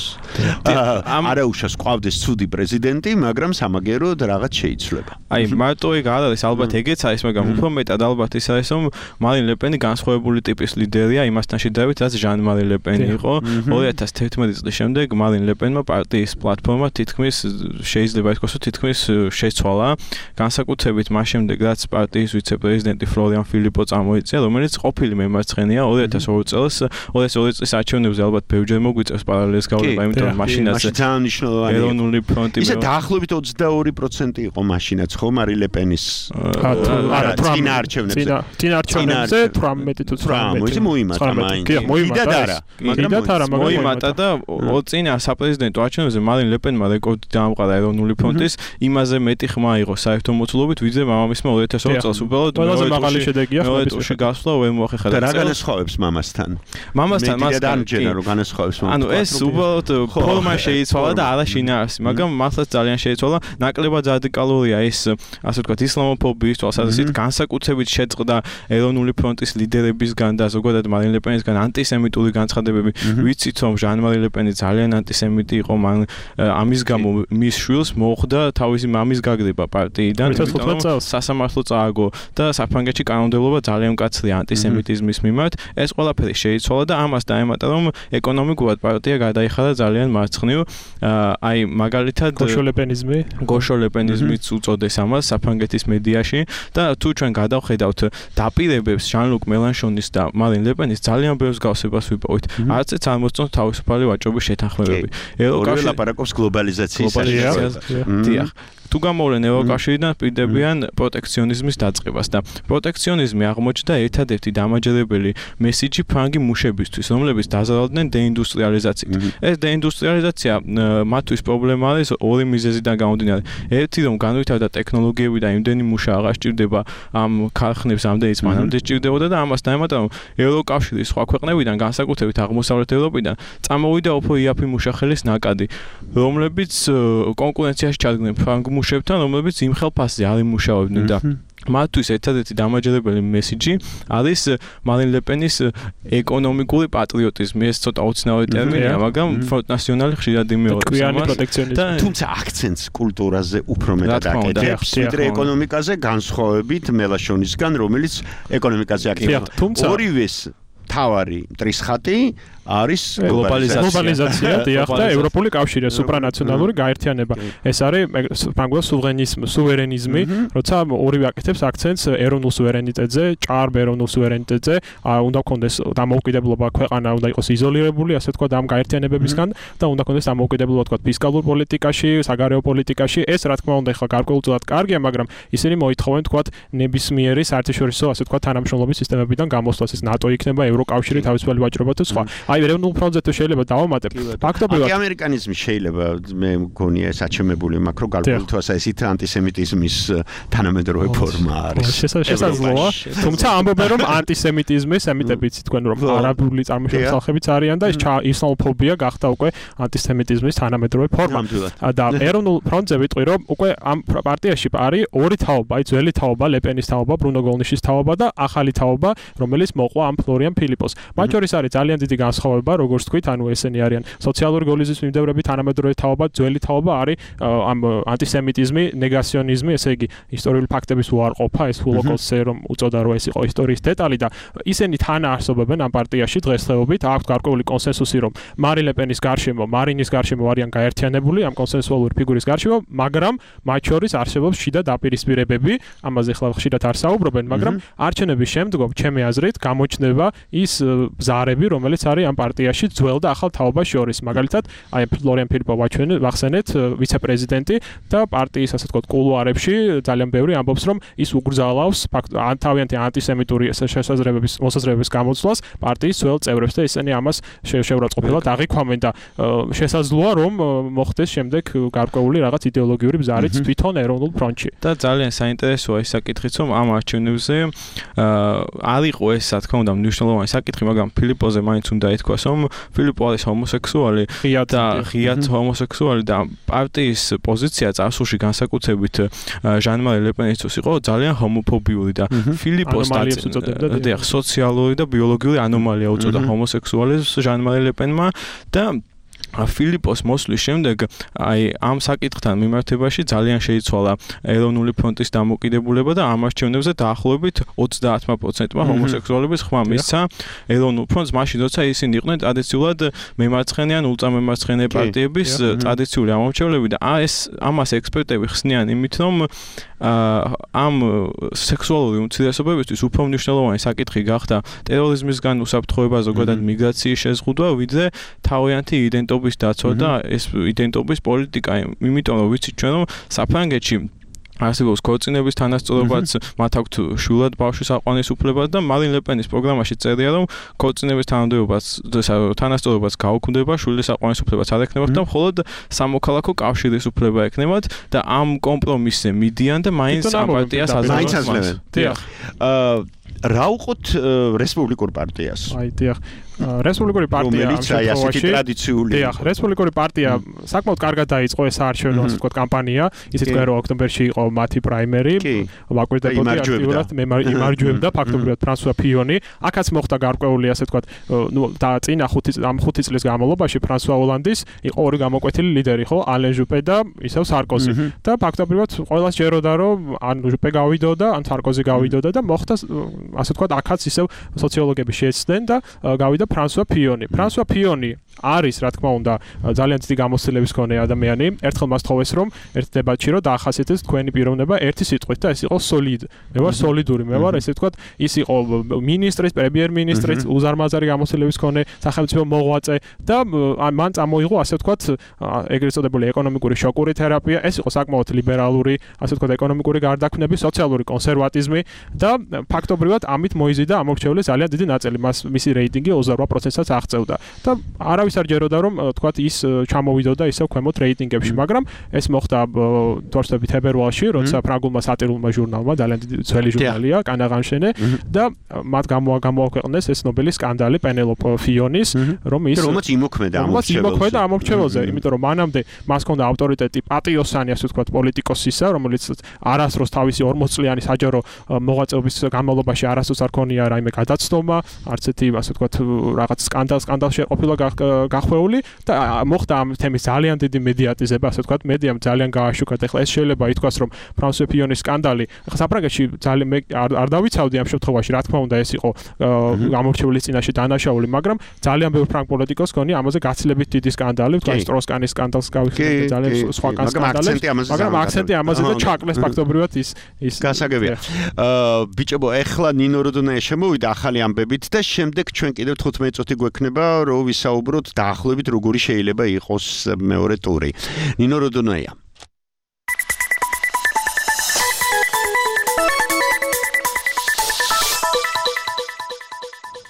არაუშავს ყავდეს ცუდი პრეზიდენტი, მაგრამ სამაგეროდ რაღაც შეიცვლება. აი, მარტო ეგ არ არის, ალბათ ეგეც არის, მაგრამ უფრო მეტად ალბათ ის არის, რომ მარინ ლე პენი განსხვავებული ტიპის ლიდერია, იმასთან შედარებით, რაც ჟან მარი ლე პენი იყო. 2011 წლის შემდეგ მარინ ლე პენმა პარტიის პლატფორმა თითქმის შეიძლება ითქვას, რომ თითქმის შეცვალა. განსაკუთრებით მას შემდეგ, რაც პარტიის ვიცე-პრეზიდენტი ფლორიან ფილიპო წამოიწია, რომელიც ყოფილი მემარცხენეა 2002 წლის არჩევნებზე ალბათ ბევრჯერ მოგვიწევს პარალელს გავლება, იმიტომ რომ მაშინაც ძალიან მნიშვნელოვანი ეროვნული ფრონტი ისე დაახლოებით 22% იყო მაშინაც ხო მარი ლე პენის არა წინა არჩევნებზე 18 თუ 19 ისე მოიმატა მოიმატა და წინა საპრეზიდენტო არჩევნებზე მარინ ლე პენმა რეკორდი დაამყარა ეროვნული ფრონტის იმაზე მეტი ხმა იყო საერთო მოცულობით ვიდრე მამამისმა 2002 წელს უბრალოდ ყველაზე მაღალი შედეგია ხმების გასვლა ვერ მოახერხა და რა განასხვავებს მამასთან მას დამჯერა რომ განასხვავებს ანუ ეს უბრალოდ ფორმა შეიცვალა და არა შინაარსი მაგრამ მართლაც ძალიან შეიცვალა ნაკლებად რადიკალურია ეს ასე ვთქვათ ისლამოფობიის თვალსაზრისით განსაკუთრებით შეწყდა ეროვნული ფრონტის ლიდერებისგან და ზოგადად მარინ ლე პენისგან ანტისემიტური განცხადებები ვიცით რომ ჟან მარი ლე პენი ძალიან ანტისემიტი იყო მან ამის გამო მის შვილს მოხდა თავისი მამის გაგდება პარტიიდან სასამართლო წააგო და საფრანგეთში კანონმდებლობა ძალიან მკაცრია ანტისემიტიზმის მიმართ ეს ყველაფერი შეიცვალა და ამას დაემატა რომ ეკონომიკურად პარტია გადაიხადა ძალიან მარცხნივ აი მაგალითად გოშოლეპენიზმიც უწოდეს ამას საფრანგეთის მედიაში და თუ ჩვენ გადავხედავთ დაპირებებს ჟან-ლუკ მელანშონის და მარინ ლე პენის ძალიან ბევრ მსგავსებას ვიპოვით არც ერთ არ მოსწონს თავისუფალი ვაჭრობის შეთანხმებები ორივე ლაპარაკობს გლობალიზაციის დიახ თუ გამოვლენ ევროკავშირიდან პირდებიან პროტექციონიზმის დაწყებას და პროტექციონიზმი აღმოჩნდა ერთადერთი დამაჯერებელი მესიჯი ფრანგი მუშებისთვის, რომლებიც დაზარალდნენ დეინდუსტრიალიზაციით. ეს დეინდუსტრიალიზაცია მათთვის პრობლემა არის ორი მიზეზიდან გამომდინარე. ერთი რომ განვითარდა ტექნოლოგიები და იმდენი მუშა აღარ სჭირდება ამ ქარხნებს ამდენიც მანამდე სჭირდებოდა და ამას დაემატა რომ ევროკავშირის სხვა ქვეყნებიდან განსაკუთრებით აღმოსავლეთ ევროპიდან წამოვიდა უფრო იაფი მუშახელის ნაკადი, რომლებიც კონკურენციაში ჩადგნენ ფრანგ მუშებთან, რომლებიც იმ ხელფასზე არ იმუშავებდნენ და მათთვის ერთადერთი დამაჯერებელი მესიჯი არის მარინ ლე პენის ეკონომიკური პატრიოტიზმი. ეს ცოტა უცნაური ტერმინია, მაგრამ ფრონტ ნასიონალი ხშირად იმეორებს. თუმცა აქცენტს კულტურაზე უფრო მეტად აკეთებს, ვიდრე ეკონომიკაზე, განსხვავებით მელანშონისგან, რომელიც ეკონომიკაზე აკეთებს. ორივეს თავარი მტრისხატი არის გლობალიზაცია და ევროპული კავშირი, სუპრანაციონალური გაერთიანება. ეს არის ფრანგულად სუვერენიზმი, როცა ორივე აკეთებს აქცენტს ეროვნულ სუვერენიტეტზე, ჭარბ ეროვნულ სუვერენიტეტზე, უნდა გქონდეს დამოუკიდებლობა, ქვეყანა უნდა იყოს იზოლირებული, ასე ვთქვათ, ამ გაერთიანებებისგან და უნდა გქონდეს დამოუკიდებლობა, ვთქვათ, ფისკალურ პოლიტიკაში, საგარეო პოლიტიკაში. ეს რა თქმა უნდა ახლა გარკვეულწილად კარგია, მაგრამ ისინი მოითხოვენ, ვთქვათ, ნებისმიერი საერთაშორისო, ასე ვთქვათ, თანამშრომლობის სისტემებიდან გამოსვლას. ეს ნატო იქნება, ევროკავშირი, თავისუფალი ვაჭრობა თუ სხვა. აი ეროვნულ ფრონტზე თუ შეიძლება დავამატებ ფაქტობრივად ამერიკანიზმი შეიძლება მე მგონია საჩემებული მაკრო გარკვეულთვას ესეთ ანტისემიტიზმის თანამედროვე ფორმა არის შესაძლოა თუმცა ამბობენ რომ ანტისემიტიზმი სემიტებიც თქვენ რომ არაბული წარმოშობის ხალხებიც არიან და ეს ისლამოფობია გახდა უკვე ანტისემიტიზმის თანამედროვე ფორმა და ეროვნულ ფრონტზე ვიტყვი რომ უკვე ამ პარტიაში არის ორი თაობა აი ძველი თაობა ლე პენის თაობა ბრუნო გოლნიშის თაობა და ახალი თაობა რომელიც მოყვა ამ ფლორიან ფილიპოს მათ შორის არის ძალიან დიდი განსხვავება განსხვავება, როგორც თქვით, ანუ ესენი არიან სოციალური გოლიზმის მიმდევრები, თანამედროვე თაობა, ძველი თაობა არის ამ ანტისემიტიზმი, ნეგაციონიზმი, ესე იგი ისტორიული ფაქტების უარყოფა, ეს ჰოლოკოსტზე რომ უწოდა რომ ეს იყო ისტორიის დეტალი და ისინი თან არსებობენ ამ პარტიაში დღესდღეობით, აქვთ გარკვეული კონსენსუსი რომ მარინის გარშემო არიან გაერთიანებული ამ კონსენსუალური ფიგურის გარშემო, მაგრამ მათ შორის არსებობს შიდა დაპირისპირებები, ამაზე ხლა ხშირად არ საუბრობენ, მაგრამ არჩევნების შემდგომ, ჩემი აზრით, გამოჩნდება ის ბზარები, რომელიც არის ამ პარტიაში ძველ და ახალ თაობას შორის. მაგალითად, აი ფლორიან ფილიპოვ ვახსენეთ, ვიცე-პრეზიდენტი და პარტიის ასე ვთქვათ კულუარებში ძალიან ბევრი ამბობს, რომ ის უგრძალავს თავიანთი ანტისემიტური მოსაზრებების გამოცვლას პარტიის ძველ წევრებს და ისინი ამას შეურაცხყოფილად აღიქვამენ და შესაძლოა რომ მოხდეს შემდეგ გარკვეული რაღაც იდეოლოგიური ბზარიც თვითონ ეროვნულ ფრონტში. და ძალიან საინტერესოა ის საკითხიც, რომ ამ არჩევნებზე არ იყო ეს, რა თქმა უნდა, მნიშვნელოვანი საკითხი, მაგრამ ფილიპოზე მაინც უნდა ითქვას, რომ ფილიპო არის ჰომოსექსუალი და ღიად ჰომოსექსუალი და პარტიის პოზიცია წარსულში განსაკუთრებით ჟან-მარი ლეპენისთვის იყო ძალიან ჰომოფობიური და ფილიპოს სოციალური და ბიოლოგიური ანომალია უწოდა ჰომოსექსუალიზმს ჟან-მარი ლეპენმა და ფილიპოს მოსვლის შემდეგ აი ამ საკითხთან მიმართებაში ძალიან შეიცვალა ეროვნული ფრონტის დამოკიდებულება და ამ არჩევნებზე დაახლოებით 30%-მა ჰომოსექსუალების ხმა მისცა ეროვნულ ფრონტს, მაშინ როცა ისინი იყვნენ ტრადიციულად მემარცხენე ან ულტრამემარცხენე პარტიების ტრადიციული ამომრჩევლები და ამას ექსპერტები ხსნიან იმით, რომ ამ სექსუალური უმცირესობებისთვის უფრო მნიშვნელოვანი საკითხი გახდა ტერორიზმისგან უსაფრთხოება, ზოგადად მიგრაციის შეზღუდვა, ვიდრე თავიანთი იდენტობის დაცვა და ეს იდენტობის პოლიტიკა, იმიტომ რომ ვიცით ჩვენ რომ საფრანგეთში არსებობს ქორწინების თანასწორობაც, მათ აქვთ შვილად ბავშვის აყვანის უფლება და მარინ ლეპენის პროგრამაში წერია, რომ ქორწინების თანასწორობაც გაუქმდება, შვილის აყვანის უფლებაც არ ექნებათ და მხოლოდ სამოქალაქო კავშირის უფლება ექნებათ და ამ კომპრომისზე მიდიან და მაინც ამ პარტიას აძლევენ. რა უყოთ რესპუბლიკურ პარტიას? აი, დიახ. რესპუბლიკური პარტია ამ შემთხვევაში ტრადიციული. დიახ, რესპუბლიკური პარტია საკმაოდ კარგად დაიწყო ეს არჩევნო, ასე ვთქვათ, კამპანია. ისიც კი რომ ოქტომბერში იყო მათი პრაიმერი, ვაკვირდებოდი აქტიურად, იმარჯვებდა ფაქტობრივად ფრანსუა ფიონი. აქაც მოხდა გარკვეული, ასე ვთქვათ, და წინა 5 წლის განმავლობაში ფრანსუა ოლანდის იყო ორი გამოკვეთილი ლიდერი, ხო, ალენ ჟუპე და ისევ სარკოზი. და ფაქტობრივად ყველას ჯეროდა, რომ ან ჟუპე გავიდოდა, ან სარკოზი გავიდოდა და მოხდა, ასე ვთქვათ, აქაც ისევ სოციოლოგები შეეცდნენ და გავიდა ფრანსუა ფიონი. ფრანსუა ფიონი არის, რა თქმა უნდა, ძალიან დიდი გამოცდილების მქონე ადამიანი. ერთხელ მას თხოვეს, რომ ერთ დებატში რომ დაახასიათოს თქვენი პიროვნება ერთი სიტყვით და ეს იყო solid. მე ვარ solidური, მე ვარ, ესე ვთქვათ, ის იყო მინისტრის, პრემიერ-მინისტრის, უზარმაზარი გამოცდილების მქონე სახელმწიფო მოღვაწე და მან წამოიღო, ასე ვთქვათ, ეგრეთ წოდებული ეკონომიკური შოკური თერაპია. ეს იყო საკმაოდ ლიბერალური, ასე ვთქვათ, ეკონომიკური გარდაქმნები, სოციალური კონსერვატიზმი და ფაქტობრივად ამით მოიზიდა ამორჩეული ძალიან დიდი ნაწილი. მისი რეიტინგი 28%-ს აღწევდა და არავის არ ჯეროდა რომ თქვათ ის ჩამოვიდოდა ისევ ქვემოთ რეიტინგებში, მაგრამ ეს მოხდა თორსტებით თებერვალში, როცა ფრანგულმა სატირულმა ჟურნალმა, ძალიან დიდი ძველი ჟურნალია, კანაღანშენე და მათ გამოაქვეყნეს ეს ნობელის სკანდალი პენელოპ ფიონის, რომელიც იმოქმედა ამორჩეველზე, იმიტომ რომ მანამდე მას ჰქონდა ავტორიტეტი პატიოსანი, ასე ვთქვათ, პოლიტიკოსისა, რომელიც არასდროს თავისი 40 წლიანი საჯარო მოღვაწეობის განმავლობაში არასდროს არ ქონია რაიმე გადაცნობა, არც ერთი, ასე ვთქვათ, რაღაც სკანდალში ყოფილა გახვეული და მოხდა ამ თემის ძალიან დიდი მედიატიზება, ასე ვთქვათ, მედიამ ძალიან გააშუქა. ეხლა ეს შეიძლება ითქვას, რომ ფრანსუა ფიონის სკანდალი, ეხლა საფრანგეთში ძალიან არ დავიცავდი ამ შემთხვევაში, რა თქმა უნდა, ეს იყო გამორჩეულის წინაშე დანაშაული, მაგრამ ძალიან ბევრი ფრანგ პოლიტიკოს გონი ამაზე გაცილებით დიდი სკანდალი, ვთქვათ, სტროსკანის სკანდალს გავიხსენებთ, ძალიან სხვა სკანდალებს, მაგრამ აქცენტი ამაზე და ჩაკლეს ფაქტობრივად ის გასაგებია. ბიჭებო, ეხლა ნინო როდონაია შემოვიდა ახალი ამბებით და შემდეგ ჩვენ კიდევ 15 წუთი გვექნება, რომ ვისაუბროთ დაახლოებით როგორი შეიძლება იყოს მეორე ტური. ნინო როდონაია.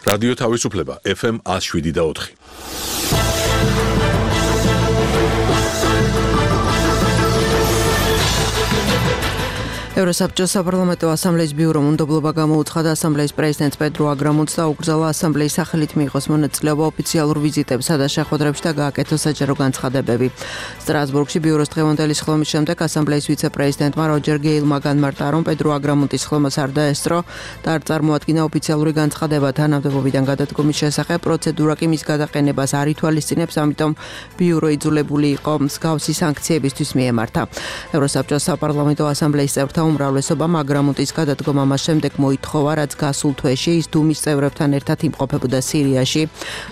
რადიო თავისუფლება FM 107.4. ევროსაბჭოს საპარლამენტო ასამბლეის ბიურომ უნდობლობა გამოუცხადა ასამბლეის პრეზიდენტს პედრო აგრამონტს და უკრძალა ასამბლეის სახელით მიიღოს მონაწილეობა ოფიციალურ ვიზიტებსა და შეხვედრებში და გააკეთოს საჯარო განცხადებები. სტრასბურგში ბიუროს დღევანდელი სხდომის შემდეგ ასამბლეის ვიცე-პრეზიდენტმა როჯერ გეილმა განმარტა, რომ პედრო აგრამონტის სხდომას არ დაესწრო და არ წარმოადგინა ოფიციალური განცხადება თანამდებობიდან გადადგომის შესახებ, პროცედურა კი მის გადაყენებას არ ითვალისწინებს, ამიტომ ბიურო იძულებული იყო მსგავსი სანქციებისთვის მიემართა. ევროსაბჭოს საპარლამენტო ასამბლეის წევრთა უმრავლესობამ აგრამონტის გადადგომა მას შემდეგ მოითხოვა, რაც გასულ თვეში ის დუმის წევრებთან ერთად იმყოფებოდა სირიაში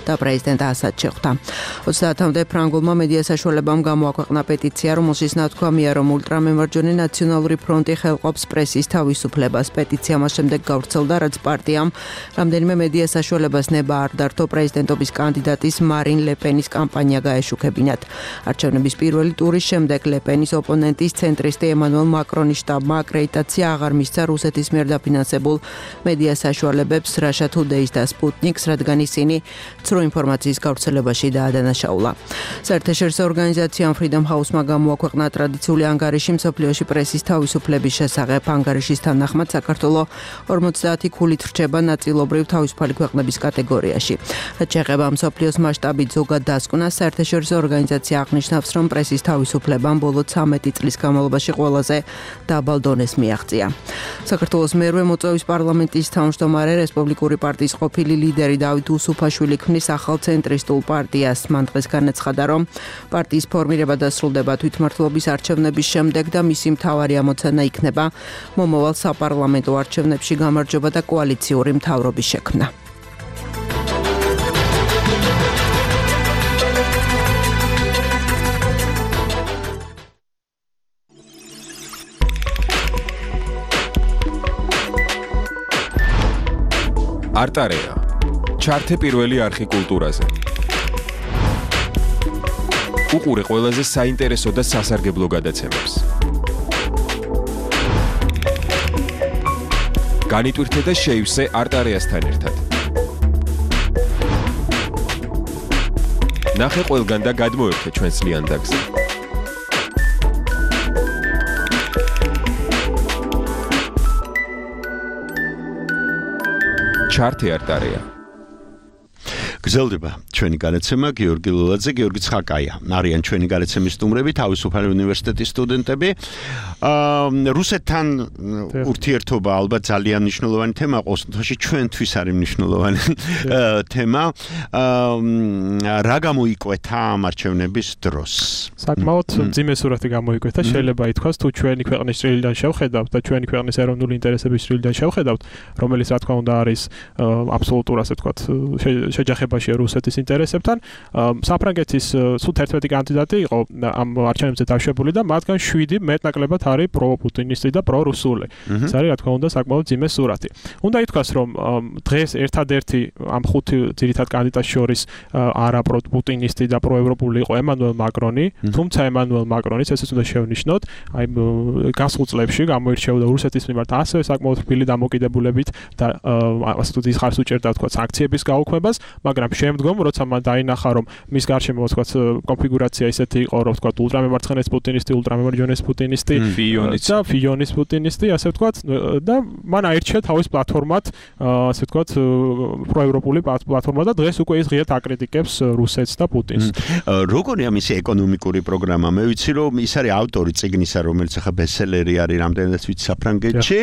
და პრეზიდენტ ასადს შეხვდა. 30-მდე ფრანგულმა მედია საშუალებამ გამოაქვეყნა პეტიცია, რომელშიც ნათქვამია, რომ ულტრამემარჯვენე ნაციონალური ფრონტი ხელყოფს პრესის თავისუფლებას. პეტიცია მას შემდეგ გავრცელდა, რაც პარტიამ რამდენიმე მედია საშუალებას ნება არ დართო პრეზიდენტობის კანდიდატის მარინ ლეპენის კამპანია გაეშუქებინათ. არჩევნების პირველი ტურის შემდეგ ლეპენის ოპონენტის ცენტრისტი ემანუელ მაკრონის შტაბმა აკრედიტაცია აღარ მისცა რუსეთის მიერ დაფინანსებულ მედია საშუალებებს Russia Today-ს და Sputnik-ს, რადგან ისინი ცრუ ინფორმაციის გავრცელებაში დაადანაშაულა. საერთაშორისო ორგანიზაციამ Freedom House-მა გამოაქვეყნა ტრადიციული ანგარიში მსოფლიოში პრესის თავისუფლების შესახებ. ანგარიშის თანახმად საქართველოს 50 ქულით რჩება ნაწილობრივ თავისუფალი ქვეყნების კატეგორიაში. რაც შეეხება მსოფლიოს მასშტაბით ზოგად დასკვნას, საერთაშორისო ორგანიზაცია აღნიშნავს, რომ პრესის თავისუფლებამ ბოლო 13 წლის განმავლობაში ყველაზე დაბალ დონეს მიაღწია. საქართველოს მერვე მოწვევის პარლამენტის თავმჯდომარე რესპუბლიკური პარტიის ყოფილი ლიდერი დავით უსუფაშვილი ქმნის ახალ ცენტრისტულ პარტიას. მან დღეს განაცხადა, რომ პარტიის ფორმირება დასრულდება თვითმმართველობის არჩევნების შემდეგ და მისი მთავარი ამოცანა იქნება მომავალ საპარლამენტო არჩევნებში გამარჯვება და კოალიციური მთავრობის შექმნა. არტარეა. ჩართე პირველი არხი კულტურაზე. უყურე ყველაზე საინტერესო და სასარგებლო გადაცემებს. განიტვირთე და შეივსე არტარეასთან ერთად. ნახე ყველგან და გადმოერთე ჩვენს ლიანდაგზე. ჩართე არტარეა. გრძელდება ჩვენი გადაცემა გიორგი ლოლაძე, გიორგი ცხაკაია. არიან ჩვენი გადაცემის სტუმრები, თავისუფალი უნივერსიტეტის სტუდენტები. რუსეთთან ურთიერთობა ალბათ ძალიან მნიშვნელოვანი თემა, ყოველთვის ჩვენთვის არის მნიშვნელოვანი თემა. რა გამოიკვეთა ამ არჩევნების დროს? საკმაოდ მძიმე სურათი გამოიკვეთა, შეიძლება ითქვას, თუ ჩვენი ქვეყნის წრილიდან შევხედავთ და ჩვენი ქვეყნის ეროვნული ინტერესების წრილიდან შევხედავთ, რომელიც რა თქმა უნდა არის აბსოლუტურ, ასე ვთქვათ, შეჯახებაში რუსეთის ინტერესებთან. საფრანგეთის სულ 11 კანდიდატი იყო ამ არჩევნებზე დაშვებული და მათგან 7 მეტნაკლებად არის პროპუტინისტი და პრორუსული. ეს არის რა თქმა უნდა საკმაოდ მძიმე სურათი. უნდა ითქვას, რომ დღეს ერთადერთი ამ 5 ძირითად კანდიდატს შორის არა პროპუტინისტი და პროევროპული იყო ემანუელ მაკრონი, თუმცა ემანუელ მაკრონის ესეც უნდა შევნიშნოთ, აი გასულ წლებში გამოირჩეოდა რუსეთის მიმართ ასევე საკმაოდ რბილი დამოკიდებულებით და ასე თუ ის ხარს უჭერდა თქვა სანქციების გაუქმებას, მაგრამ შემდგომ როცა მან დაინახა, რომ მის გარშემო თქვა კონფიგურაცია ისეთი იყო, რომ თქვა ულტრამემარცხენე პუტინისტი, ულტრამემარჯვენე პუტინისტი, ფიონის პუტინისტი, ასე ვთქვა და მან აირჩია თავის პლატფორმად, ასე ვთქვა პროევროპული პლატფორმა და დღეს უკვე ის ღიად აკრიტიკებს რუსეთს და პუტინს. როგორია მისი ეკონომიკური პროგრამა? მე ვიცი, რომ ის არის ავტორი წიგნისა, რომელიც ახლა ბესტსელერი არის რამდენადაც ვიცი საფრანგეთში.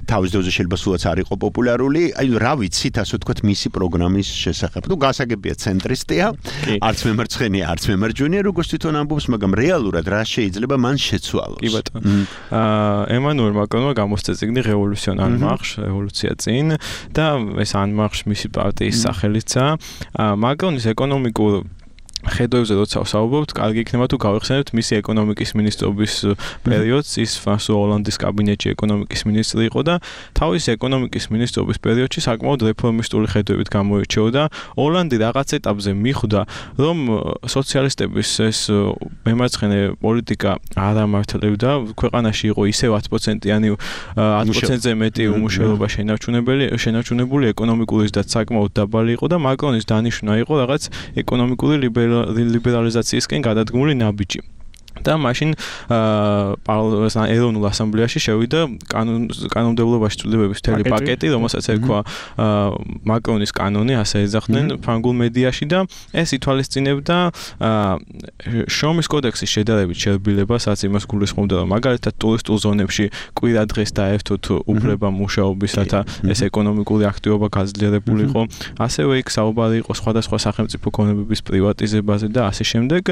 თავის დროზე შეიძლება სულაც არ იყო პოპულარული. აი რა ვიცით, ასე ვთქვათ, მისი პროგრამის შესახებ. თუ გასაგებია ცენტრისტია, არც მემარცხენეა, არც მემარჯვენეა, როგორც თვითონ ამბობს, მაგრამ რეალურად რა შეიძლება მან შეცვალოს? კი ბატონო. ემანუელ მაკრონმა გამოსცა წიგნი რევოლუცია წინ და ეს ანმარშ მისი პარტიის სახელიცა. მაკრონის ეკონომიკურ ხედვებზე როცა ვსაუბრობთ, კარგი იქნება თუ გავიხსენებთ მისი ეკონომიკის მინისტრობის პერიოდს, ის ფრანსუა ოლანდის კაბინეტში ეკონომიკის მინისტრი იყო და თავის ეკონომიკის მინისტრობის პერიოდში საკმაოდ რეფორმისტული ხედვებით გამოირჩეოდა. ოლანდი რაღაც ეტაპზე მიხვდა, რომ სოციალისტების ეს მემარცხენე პოლიტიკა არ ამართლებდა, ქვეყანაში იყო ისევ 10%-იანი 10%-ზე მეტი უმუშევრობა შენარჩუნებული, ეკონომიკური ზრდაც საკმაოდ დაბალი იყო და მაკრონის დანიშვნა იყო რაღაც ეკონომიკური ლიბერალიზაციისკენ გადადგმული ნაბიჯი. და მაშინ ეროვნულ ასამბლეაში შევიდა კანონმდებლობაში ცვლილებების მთელი პაკეტი, რომელსაც ერქვა მაკრონის კანონი, ასე ეძახდნენ ფრანგულ მედიაში და ეს ითვალისწინებდა შრომის კოდექსის შედარებით შერბილებას, რაც იმას გულისხმობდა, რომ მაგალითად ტურისტულ ზონებში კვირა დღეს დაერთოთ უფლება მუშაობისათა ეს ეკონომიკური აქტივობა გაძლიერებულიყო. ასევე იქ საუბარი იყო სხვადასხვა სახელმწიფო ქონებების პრივატიზებაზე და ასე შემდეგ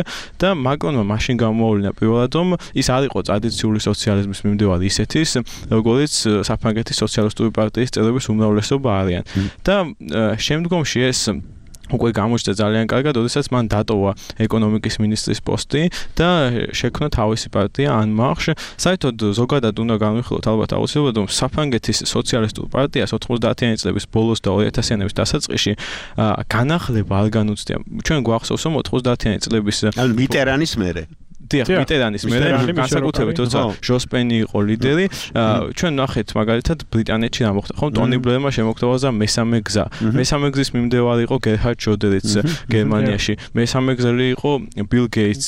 და მაკრონმა მაშინ გამოავლინა პირველად რომ ის არ იყო ტრადიციული სოციალიზმის მიმდევარი ისეთის, როგორც საფრანგეთის სოციალისტური პარტიის წევრების უმრავლესობა არიან. და შემდგომში ეს უკვე გამოჩნდა ძალიან კარგად, როდესაც მან დატოვა ეკონომიკის მინისტრის პოსტი და შექმნა თავისი პარტია ან მარშ. საერთოდ ზოგადად უნდა განვიხილოთ ალბათ აუცილებლად, რომ საფრანგეთის სოციალისტურ პარტიას 90-იანი წლების ბოლოს და 2000-იანების დასაწყისში განახლება არ განუცდია. ჩვენ გვახსოვს, რომ 90-იანი წლების მიტერანის მერე მიტერანის მერე განსაკუთრებით როცა ჟოსპენი იყო ლიდერი, ჩვენ ნახეთ მაგალითად ბრიტანეთში რა მოხდა, ხომ ტონი ბლერმა შემოგთავაზა მესამე გზა. მესამე გზის მიმდევარი იყო გერჰარდ შროდერიც გერმანიაში. მესამე გზელი იყო ბილ გეიტს,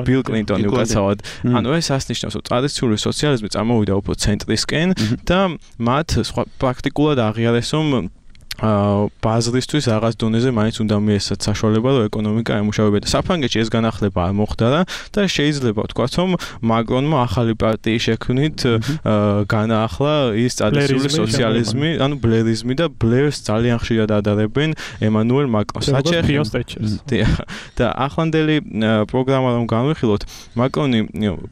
ბილ კლინტონი უკაცრავად. ანუ ეს ასნიშნავს, რომ ტრადიციული სოციალიზმი წამოვიდა უფრო ცენტრისკენ და მათ პრაქტიკულად აღიარეს, რომ ბაზრისთვის რაღაც დონეზე მაინც უნდა მიეცათ საშუალება, რომ ეკონომიკა ემუშავებოდა. საფრანგეთში ეს განახლება არ მოხდა და შეიძლება ვთქვათ, რომ მაკრონმა ახალი პარტიის შექმნით განაახლა ის ტრადიციული სოციალიზმი, ანუ ბლერიზმი და ბლერს ძალიან ხშირად ადარებენ ემანუელ მაკრონს. და ახლანდელი პროგრამა რომ განვიხილოთ, მაკრონი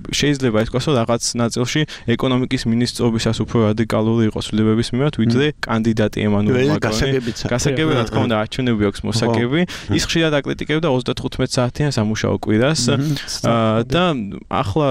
შეიძლება ითქვას, რომ რაღაც ნაწილში ეკონომიკის მინისტრობისას უფრო რადიკალური იყო ცვლილებების მიმართ, ვიდრე კანდიდატი ემანუელ მაკრონი. გასაგები რა თქმა უნდა არჩევნები აქვს მოსაგები. ის ხშირად აკრიტიკებდა 35 საათიან სამუშაო კვირას და ახლა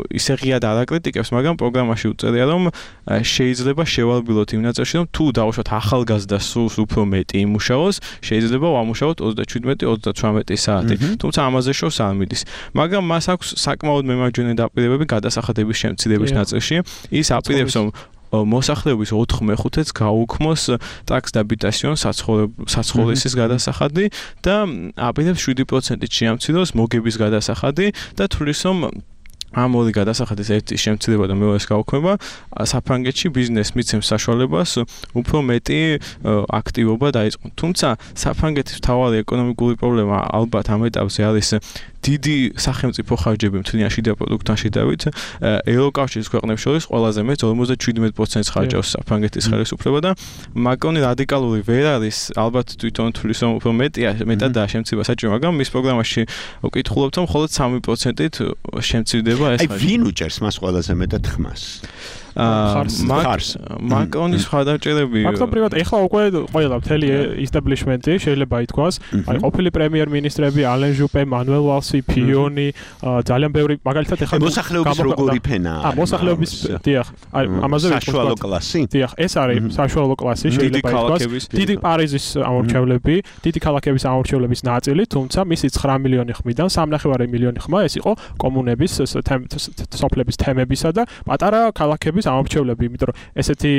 ისე ღიად არ აკრიტიკებს, მაგრამ პროგრამაში უწერია, რომ შეიძლება შევალბილოთ იმ ნაწილში, რომ თუ დავუშვათ ახალგაზრდას სულს უფრო მეტი იმუშაოს, შეიძლება ვამუშაოთ 37-38 საათი. თუმცა ამაზე შორს არ მიდის. მაგრამ მას აქვს საკმაოდ მემარჯვენე დაპირებები გადასახადების შემცირების ნაწილში. ის აპირებს, რომ მოსახლეობის 4/5-ს გაუქმოს ტაქს დაბიტასიონ საცხოვრისის გადასახადი და აპირებს 7%-ით შეამციროს მოგების გადასახადი და თulis რომ ამ ორი გადასახადის ერთი შემცირება და მეორეს გაუქმება საფრანგეთში ბიზნესს მიცემს საშუალებას უფრო მეტი აქტივობა დაიწყოს. თუმცა საფრანგეთის მთავარი ეკონომიკური პრობლემა ალბათ ამ ეტაპზე არის დიდი სახელმწიფო ხარჯები მთლიან შიდა პროდუქტთან შედარებით. ევროკავშირის ქვეყნებს შორის ყველაზე მეტ 57%-ს ხარჯავს საფრანგეთის ხელისუფლება და მაკრონი რადიკალური ვერ არის, ალბათ თვითონ თulis რომ უფრო მეტადაა შემცირება საჭირო, მაგრამ მის პროგრამაში ვკითხულობთ, რომ მხოლოდ 3%-ით შემცირდება ეს ხარჯი. ვინ უჭერს მას ყველაზე მეტად ხმას? მაკრონის ხარდაჭერები ფაქტობრივად ეხლა უკვე ყველა მთელი ისტაბლიშმენტი შეიძლება ითქვას, აი ყოფილი პრემიერ-მინისტრები ალენ ჟუპე, მანუელ ვალსი, ფიონი, ძალიან ბევრი მაგალითად ეხლა მოსახლეობის როგორი ფენაა? მოსახლეობის დიახ, აი ამაზე საშუალო კლასი? დიახ, ეს არის საშუალო კლასი, შეიძლება ითქვას. დიდი პარიზის ამორჩევლები, დიდი ქალაქების ამორჩევლების ნაწილი, თუმცა მისი 9 მილიონი ხმიდან 3.5 მილიონი ხმა ეს იყო კომუნების სოფლების თემებისა და პატარა ქალაქების ამორჩევლები, იმიტომ რომ ესეთი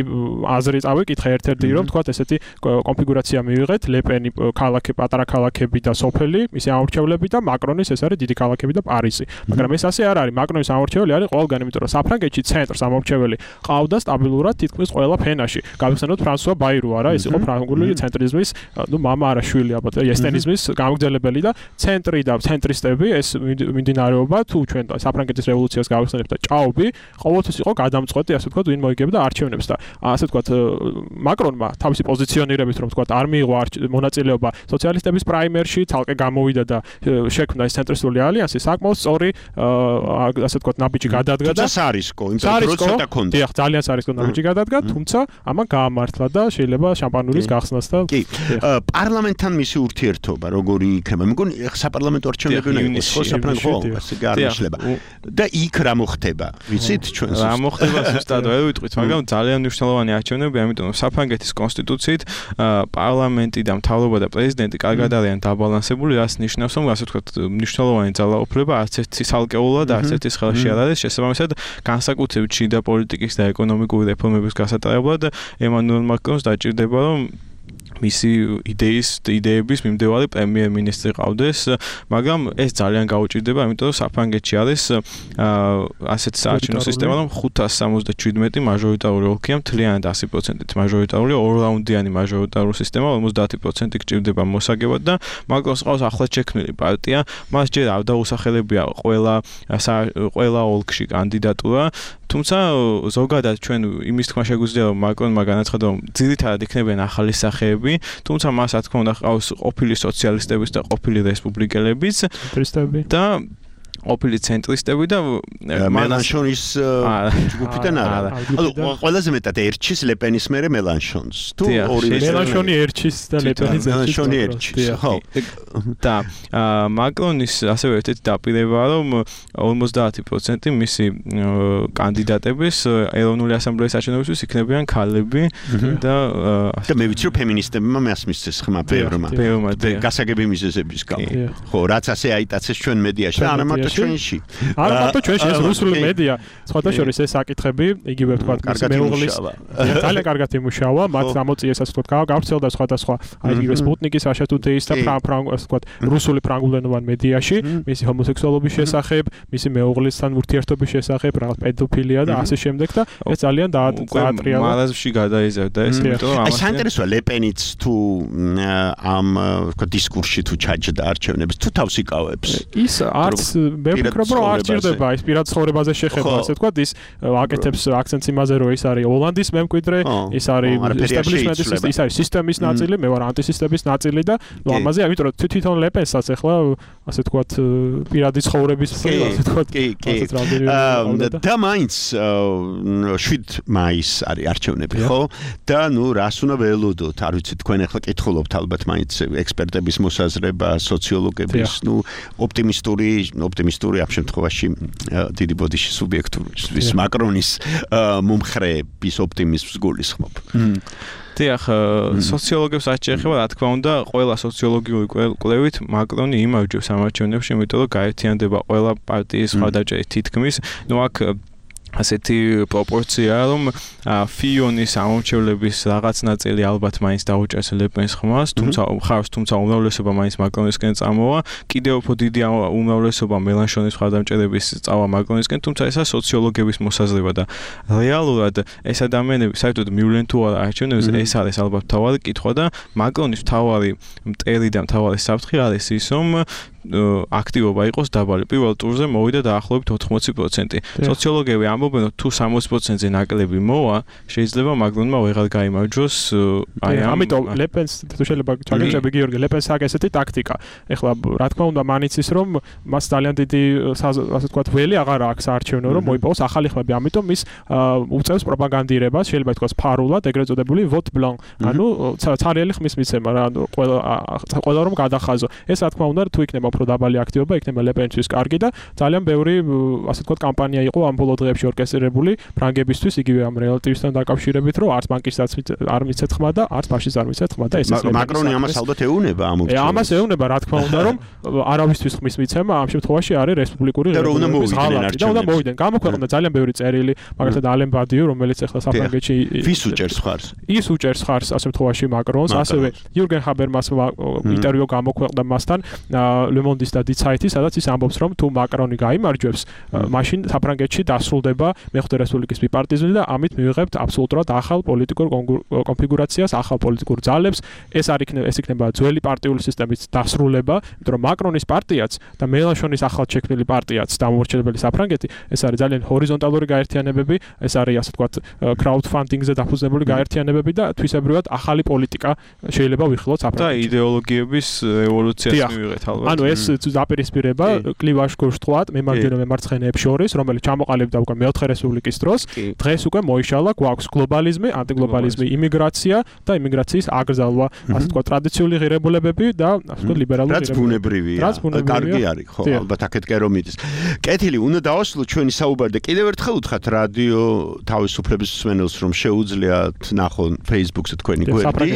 აზრი წავიკითხე ერთ-ერთი რომ თქვა ესეთი კონფიგურაცია მივიღეთ, ლეპენი ქალაქი, პატარა ქალაქები და სოფელი, მისი ამორჩევლები და მაკრონის ეს არის დიდი ქალაქები და პარიზი. მაგრამ ეს ასე არ არის. მაკრონის ამორჩეველი არის ყველგან, იმიტომ რომ საფრანგეთში ცენტრს ამორჩეველი ყავდა სტაბილურად თითქმის ყველა ფენაში. გავიხსენოთ ფრანსუა ბაირო არა, ეს იყო ფრანგული ცენტრიზმის, მამა არა შვილი ალბათ, ესტენიზმის გამგრძელებელი და ცენტრი და ცენტრისტები ეს მიმდინარეობა თუ ჩვენ საფრანგეთის რევოლუციას გავიხსენებთ და ჭაობი ყოველთვის იყო გადამწყვეტი, ასე ვთქვათ, ვინ მოიგებდა არჩევნებს და ასე ვთქვათ, მაკრონმა თავისი პოზიციონირებით, რომ ვთქვათ, არ მიიღო მონაწილეობა სოციალისტების პრაიმერში, თალკე გამოვიდა და შექმნა ეს ცენტრისტული ალიანსი, საკმაოდ სწორი, ასე ვთქვათ, ნაბიჯი გადადგა და სარისკო, იმიტომ რომ ცოტა ქონდა. დიახ, ძალიან სარისკო ნაბიჯი გადადგა, თუმცა ამან გაამართლა და შეიძლება შამპანურის გახსნას და კი. პარლამენტთან მისი ურთიერთობა როგორი იქნება? მეგონი საპარლამენტო არჩევნები უნდა იყოს ხო საფრანგეთში, ასე გაარჩევა. და იქ რა მოხდება? ვიცით ჩვენ რა მოხდება ზუსტად ვერ ვიტყვით, მაგრამ ძალიან მნიშვნელოვანი არჩევნები, ამიტომ რომ საფრანგეთის კონსტიტუციით პარლამენტი და მთავრობა და პრეზიდენტი კარგად არიან დაბალანსებული, რაც ნიშნავს, რომ ასე ვთქვათ, მნიშვნელოვანი ძალაუფლება არც ერთი სალკეულად, არც ერთის ხელში არ არის. შესაბამისად, განსაკუთრებით შიდა პოლიტიკის და ეკონომიკური რეფორმების გასატარებლად ემანუელ მაკრონს დაჭირდება, რომ მისი იდეების მიმდევარი პრემიერ-მინისტრი ყავდეს, მაგრამ ეს ძალიან გაუჭირდება, იმიტომ რომ საფრანგეთში არის ასეთ საარჩევნო სისტემა, რომ 577 მაჟორიტარული ოლქია, მთლიანად 100%-ით მაჟორიტარული, ორ-რაუნდიანი მაჟორიტარული სისტემა, 50% გჭირდება მოსაგებად და მაკრონს ყავს ახლად შექმნილი პარტია, მას ჯერ არ დაუსახელებია ყველა ოლქში კანდიდატურა, თუმცა ზოგადად ჩვენ იმის თქმა შეგვიძლია, რომ მაკრონმა განაცხადა, რომ ძირითადად იქნებიან ახალი სახეები, თუმცა მას რა თქმა უნდა ყავს ყოფილი სოციალისტების და ყოფილი რესპუბლიკელებიც და ყოფილი ცენტრისტები და მელანშონის ჯგუფიდან არა. ანუ ყველაზე მეტად ერჩის ლეპენის მერე მელანშონს. თუ ორივე მელანშონი ერჩის და ლეპენის მელანშონი ერჩის. ხო. და მაკრონის ასევე ერთ-ერთი დაპირებაა, რომ 50% მისი კანდიდატების ეროვნული ასამბლეის არჩევნებისთვის იქნებიან ქალები და მე ვიცი რომ ფემინისტებმა მას მისცეს ხმა ბევრმა გასაგები მიზეზების გამო. ხო, რაც ასე აიტაცეს ჩვენ მედიაში და არა მარტო ჩვენში. არა მარტო ჩვენში, ეს რუსული მედია, სხვათა შორის ეს საკითხები, იგივე ვთქვათ, მეუღლის ძალიან კარგად იმუშავა, მათ ამოწიეს ასე ვთქვათ, გავრცელდა სხვადასხვა აი იგივე სპუტნიკის აშატუთეის და ასე ვთქვათ, რუსული ფრანგულენოვან მედიაში, მისი ჰომოსექსუალობის შესახებ, მისი მეუღლისთან ურთიერთობის შესახებ, რაღაც პედოფილია და ასე შემდეგ და ეს ძალიან დაატრიალა. მარაზმში გადაიზარდა ეს, იმიტომ რომ აი საინტერესოა ლეპენიც თუ ამ ვთქვათ დისკურსში თუ ჩაჯდა არჩევნებს, თუ თავს იკავებს. ის არც მე ვფიქრობ რომ არ ჭირდება ის პირად ცხოვრებაზე შეხება, ასე ვთქვათ, ის აკეთებს აქცენტს იმაზე, რომ ის არის ჰოლანდის მემკვიდრე, ის არის establishment-ის, ის არის სისტემის ნაწილი, მე ვარ ანტისისტემის ნაწილი და ნუ ამაზე, ამიტომ რომ თვითონ ლეპენსაც ახლა ასე ვთქვათ, პირადი ცხოვრების ასე ვთქვათ, და მაინც 7 მაისს არის არჩევნები, ხო? და ნუ რას უნდა ველოდოთ, არ ვიცი, თქვენ ახლა კითხულობთ ალბათ მაინც ექსპერტების მოსაზრება, სოციოლოგების, ნუ ოპტიმისტური ამ შემთხვევაში დიდი ბოდიში სუბიექტურის მაკრონის მომხრეების ოპტიმიზმს გულისხმობ. დიახ, სოციოლოგებს რაც შეეხება, რა თქმა უნდა, ყველა სოციოლოგიური კვლევით მაკრონი იმარჯვებს ამ არჩევნებში, იმიტომ რომ გაერთიანდება ყველა პარტიის მხარდაჭერით თითქმის, ნუ აქ ასეთი პროპორციაა, რომ ფიონის ამომრჩევლების რაღაც ნაწილი ალბათ მაინც დაუჭერს ლეპენს ხმას, თუმცა უმრავლესობა მაინც მაკრონისკენ წამოვა, კიდევ უფრო დიდი უმრავლესობა მელანშონის მხარდამჭერების წავა მაკრონისკენ, თუმცა ესა სოციოლოგების მოსაზრება და რეალურად ეს ადამიანები საერთოდ მივლენ თუ არა არჩევნებს, ეს არის ალბათ მთავარი კითხვა და მაკრონის მთავარი მტერი და მთავარი საფრთხე არის ის, რომ აქტივობა იყოს დაბალი. პირველ ტურზე მოვიდა დაახლოებით 80%. სოციოლოგები ამბობენ, რომ თუ 60%-ზე ნაკლები მოვა, შეიძლება მაკრონმა ვეღარ გაიმარჯვოს. ამიტომ ლეპენს თუ შეიძლება ჩაგეჭები გიორგი, ლეპენს აქვს ესეთი ტაქტიკა. ეხლა რა თქმა უნდა მან იცის, რომ მას ძალიან დიდი ასე ვთქვათ ველი აღარ აქვს საარჩევნო, რომ მოიპოვოს ახალი ხმები. ამიტომ ის უწევს პროპაგანდირებას, შეიძლება ითქვას ფარულად, ეგრეთ წოდებული vote blanc. ანუ ცარიელი ხმის მიცემა რა, ყველა რომ გადახაზო. ეს რა თქმა უნდა თუ იქნება უფრო დაბალი აქტივობა, იქნება ლეპენისთვის კარგი და ძალიან ბევრი ასე ვთქვათ კამპანია იყო ამ ბოლო დღეებში ორკესტრირებული ფრანგებისთვის, იგივე ამ რელატივისთან დაკავშირებით, რომ არც ბანკისაც არ მიცეთ ხმა და არც ფაშისტს არ მიცეთ ხმა და ეს მაკრონი ამას ალბათ ეუნება ამ ოფიციალურად. ამას ეუნება, რა თქმა უნდა, რომ არავისთვის ხმის მიცემა ამ შემთხვევაში არის რესპუბლიკური რესპუბლიკის ღალატი და უნდა მოვიდნენ. გამოქვეყნდა ძალიან ბევრი წერილი, მაგალითად ალენ ბადიუ, რომელიც ახლა საფრანგეთში ვის უჭერს ხარს? ის უჭერს ხარს ამ შემთხვევაში მაკრონს, ასევე იურგენ ჰაბერმასმა ინტერვიუ გამოქვეყნდა მასთან ლემონდის და დიცაითი, სადაც ის ამბობს, რომ თუ მაკრონი გაიმარჯვებს, მაშინ საფრანგეთში დასრულდება მეხუთე რესპუბლიკის ბიპარტიზმი და ამით მივიღებთ აბსოლუტურად ახალ პოლიტიკურ კონფიგურაციას, ახალ პოლიტიკურ ძალებს. ეს იქნება ძველი პარტიული სისტემის დასრულება, იმიტომ რომ მაკრონის პარტიაც და მელანშონის ახალ შექმნილი პარტიაც დამოუკიდებელი საფრანგეთი, ეს არის ძალიან ჰორიზონტალური გაერთიანებები, ეს არის ასე ვთქვათ crowdfunding-ზე დაფუძნებული გაერთიანებები და თვისებრივად ახალი პოლიტიკა შეიძლება ვიხილოთ საფრანგეთში. და იდეოლოგიების ევოლუციას მივიღეთ ალბათ. ანუ ეს დაპირისპირება კლივაჟ გუშტყლად მემარჯვენე მემარცხენეებს შორის, რომელიც ჩამოყალიბდა უკვე მეოთხე რესპუბლიკის დროს, დღეს უკვე მოიშალა, გვაქვს გლობალიზმი, ანტიგლობალიზმი, იმიგრაცია და იმიგრაციის აკრძალვა, ასე ვთქვათ, ტრადიციული ღირებულებები და ასე ვთქვათ ლიბერალური ღირებულებები. რაც ბუნებრივია, კარგი არის, ხო, ალბათ აქეთ კერომიდის. კეთილი, უნდა დავასრულოთ ჩვენი საუბარი და კიდევ ერთხელ უთხრათ რადიო თავისუფლების მსმენელს, რომ შეუძლიათ ნახონ Facebook-ზე თქვენი გვერდი,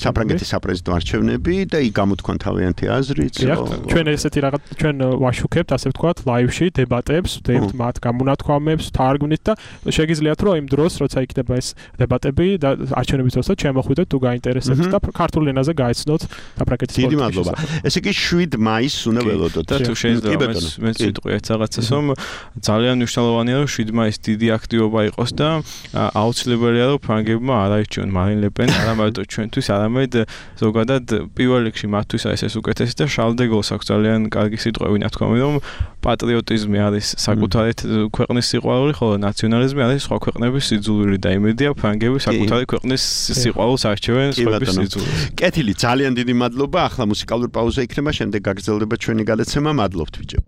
საფრანგეთის საპრეზიდენტო არჩევნები და იქ გამოთქვან თავიანთი აზრიც. ჩვენ ესეთი რაღაც ჩვენ ვაშუქებთ, ასე ვთქვათ, ლაივში დებატებს, ვდებთ მათ გამონათქვამებს, თარგმნით და შეგიძლიათ რომ იმ დროს, როცა იქნება ეს დებატები და არჩევნების დროსაც შემოხვიდეთ თუ გაინტერესებთ და ქართულ ენაზე გაიცნოთ საფრანგეთის პოლიტიკის. დიდი მადლობა. ესე იგი 7 მაისს უნდა ველოდოთ. და თუ შეიძლება მეც ვიტყვი ერთ რაღაცას, რომ ძალიან მნიშვნელოვანია რომ 7 მაისს დიდი აქტივობა იყოს და აუცილებელია რომ ფრანგებმა არაირჩიონ მარინ ლე პენი, არა მარტო ჩვენთვის, არამედ ზოგადად პირველ რიგში მათთვის არის ეს უკეთესი და შარლ დე გოლს აქვს ძალიან კარგი სიტყვები ნათქვამი, რომ პატრიოტიზმი არის საკუთარი ქვეყნის სიყვარული, ხოლო ნაციონალიზმი არის სხვა ქვეყნების სიძულვილი და იმედია ფრანგები საკუთარი ქვეყნის სიყვარულს არჩევენ სხვების სიძულვილს. კეთილი, ძალიან დიდი მადლობა. ახლა მუსიკალური პაუზა იქნება, შემდეგ გაგრძელდება ჩვენი გადაცემა. მადლობთ ბიჭო.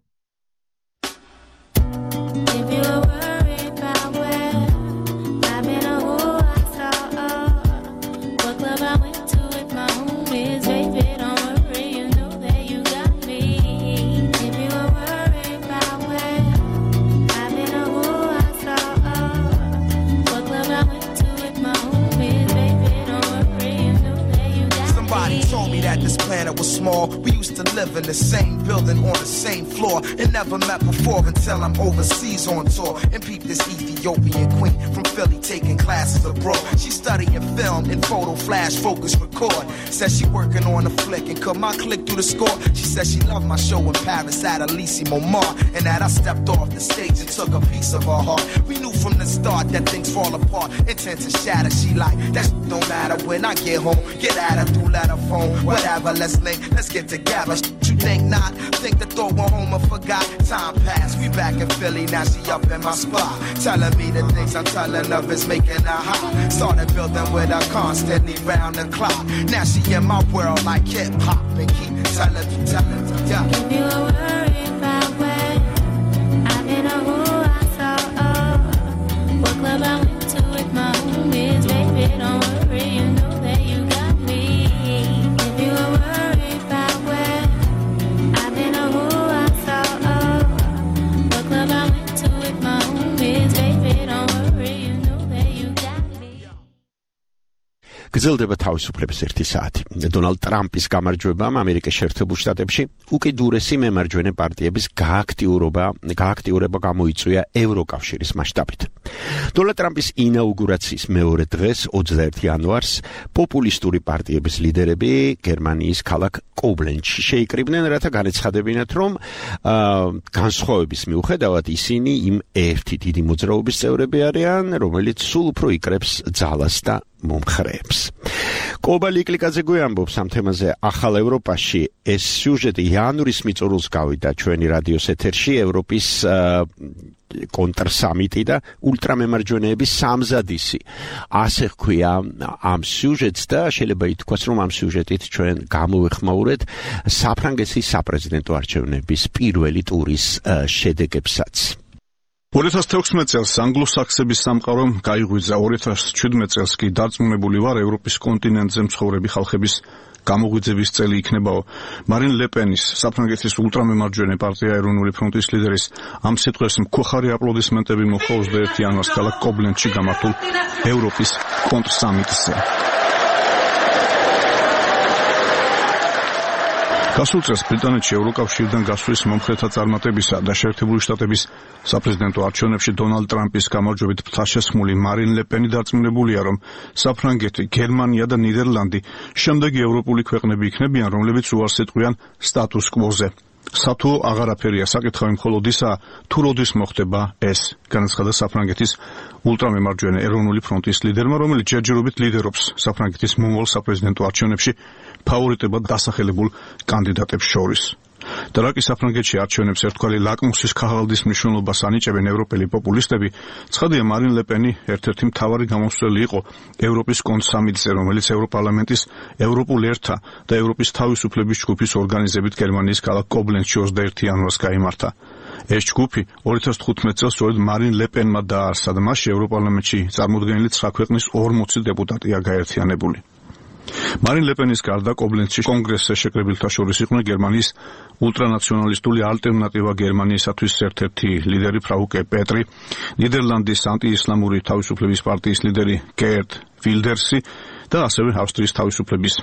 This planet was small. We used to live in the same building on the same floor and never met before until I'm overseas on tour and peep this Ethiopian queen from Philly taking classes abroad. She studying film and photo flash focus record. Says she working on a flick and cut my click through the score. She says she loved my show in Paris at Elysée Montmartre and that I stepped off the stage and took a piece of her heart. We knew from the start that things fall apart, intent to shatter. She like that don't matter when I get home. Get at her through letter phone. Whatever, let's link, let's get together. You think not? Think the thought went home and forgot. Time passed, we back in Philly, now she up in my spot. Telling me the things I'm telling her is making her hot. Started building with her constantly round the clock. Now she in my world like hip hop and keep telling me, yeah. If you were worried about where I've been or who I saw, what club I went to with my homies, baby, don't worry, you know that you got me. If you were worried about where I've been or who I saw, what club I went to with my homies, baby, don't worry, you know that you got me. გრძელდება თავისუფლების 1 საათი. დონალდ ტრამპის გამარჯვებამ ამერიკის შეერთებულ შტატებში უკიდურესი მემარჯვენე პარტიების გააქტიურება გამოიწვია ევროკავშირის მასშტაბით. დონალდ ტრამპის ინაუგურაციის მეორე დღეს 21 იანვარს პოპულისტური პარტიების ლიდერები გერმანიის ქალაქ კობლენცში შეიკრიბნენ, რათა განეცხადებინათ, რომ განსხვავების მიუხედავად ისინი იმ ერთი დიდი მოძრაობის წევრები არიან, რომელიც სულ უფრო იკრებს ძალას და მომხრეებს. კობალი კლიკაძე გვიამბობს ამ თემაზე ახალ ევროპაში. ეს სიუჟეტი იანვრის მიწურულს გავიდა ჩვენი რადიოს ეთერში ევროპის კონტრსამიტი და ულტრამემარჯვენეების სამზადისი. ასე ხქვია ამ სიუჟეტს და შეიძლება ითქვას, რომ ამ სიუჟეტით ჩვენ გამოვეხმაურეთ საფრანგეთის საპრეზიდენტო არჩევნების პირველი ტურის შედეგებსაც. 2016 წელს ანგლო-საქსების სამყარომ გაიღვიძა, 2017 წელს კი დარწმუნებული ვარ ევროპის კონტინენტზე მცხოვრები ხალხების გამოღვიძების წელი იქნებაო. მარინ ლე პენის საფრანგეთის ულტრამემარჯვენე პარტია ეროვნული ფრონტის ლიდერის ამ სიტყვებს მქვახარი აპლოდისმენტები მოჰყვა 21 იანვარს ქალაქ კობლენცში გამართულ ევროპის კონტრსამიტზე. გასულ წელს ბრიტანეთში ევროკავშირიდან გასვლის მომხრეთა წარმატებისა და შეერთებული შტატების საპრეზიდენტო არჩევნებში დონალდ ტრამპის გამარჯვებით ფთაშესხმული მარინ ლე პენი დარწმუნებულია, რომ საფრანგეთი, გერმანია და ნიდერლანდი შემდეგი ევროპული ქვეყნები იქნებიან, რომლებიც უარს ეტყვიან სტატუს კვოზე. სათუო აღარაფერია საკითხავი მხოლოდ ისაა, თუ როდის მოხდება ეს, განაცხადა საფრანგეთის ულტრამემარჯვენე ეროვნული ფრონტის ლიდერმა, რომელიც ჯერჯერობით ლიდერობს საფრანგეთის მომავალ საპრეზიდენტო არჩევნებში ფავორიტებად დასახელებულ კანდიდატებს შორის. და რაკი საფრანგეთში არჩევნებს ერთგვარი ლაკმუსის ქაღალდის მნიშვნელობას ანიჭებენ ევროპელი პოპულისტები, ცხადია მარინ ლე პენი ერთ-ერთი მთავარი გამოსვლელი იყო ევროპის კონტრსამიტზე, რომელიც ევროპარლამენტის ევროპულ ერთა და ევროპის თავისუფლების ჯგუფის ორგანიზებით გერმანიის ქალაქ კობლენცში 21 იანვარს გაიმართა. ეს ჯგუფი 2015 წელს სწორედ მარინ ლე პენმა დააარსა და მასში ევროპარლამენტში წარმოდგენილი 9 ქვეყნის 40 დეპუტატია გაერთიანებული. მარინ ლე პენის გარდა კობლენცში კონგრესზე შეკრებილთა შორის იყვნენ გერმანიის ულტრანაციონალისტური ალტერნატივა გერმანიისათვის ერთ-ერთი ლიდერი ფრაუკე პეტრი, ნიდერლანდის ანტიისლამური თავისუფლების პარტიის ლიდერი გერტ ვილდერსი და ასევე ავსტრიის თავისუფლების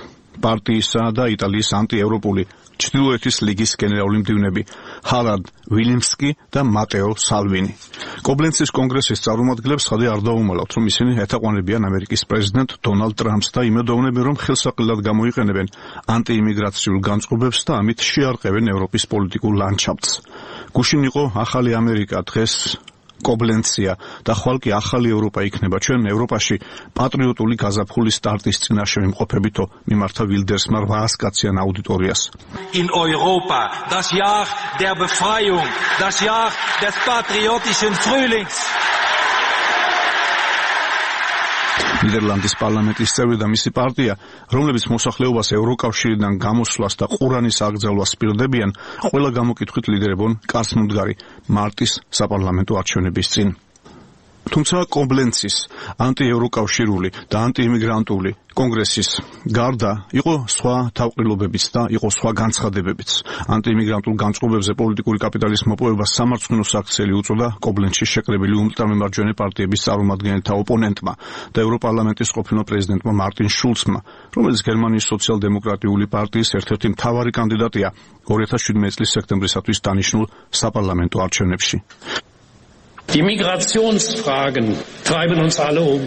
პარტიისა და იტალიის ანტიევროპული ჩრდილოეთის ლიგის გენერალური მდივნები ჰარალდ ვილიმსკი და მატეო სალვინი. კობლენცის კონგრესის წარმომადგენლებს ხადი არ დაუმალავთ, რომ ისინი ეთაყვანებიან ამერიკის პრეზიდენტ დონალდ ტრამპს და იმედოვნებენ, რომ ხელსაყრელად გამოიყენებენ ანტიიმიგრაციულ განწყობებს და ამით შეარყევენ ევროპის პოლიტიკურ ლანდშაფტს. გუშინ იყო ახალი ამერიკა, დღეს კობლენცია და ხვალ კი ახალი ევროპა იქნება. ჩვენ ევროპაში პატრიოტული გაზაფხულის სტარტის წინაშე მიმყოფებითო მიმართა ვილდერსმა 800 კაციან აუდიტორიას. In Europa, das Jahr der Befreiung, das Jahr des patriotischen Frühlings. ნიდერლანდის პარლამენტის წევრი და მისი პარტია, რომლებიც მოსახლეობას ევროკავშირიდან გამოსვლას და ყურანის აკრძალვას პირდებიან, ყველა გამოკითხვით ლიდერებონ კაცმუდგარი მარტის საპარლამენტო არჩევნების წინ. თუმცა კობლენცის ანტიევროკავშირული და ანტიიმიგრანტული კონგრესის გარდა იყო სხვა თავყრილობებიც და იყო სხვა განცხადებებიც. ანტიიმიგრანტულ განწყობებზე პოლიტიკური კაპიტალის მოპოვებას სამარცხვინოს აქციელი უწოდა კობლენცში შეკრებილი ულტრამემარჯვენე პარტიების წარმომადგენელთა ოპონენტმა და ევროპარლამენტის ყოფილ პრეზიდენტმა მარტინ შულცმა, რომელიც გერმანიის სოციალ-დემოკრატიული პარტიის ერთ-ერთი მთავარი კანდიდატია 2017 წლის სექტემბრისათვის დანიშნულ საპარლამენტო არჩევნებში. Die Migrationsfragen treiben uns alle um.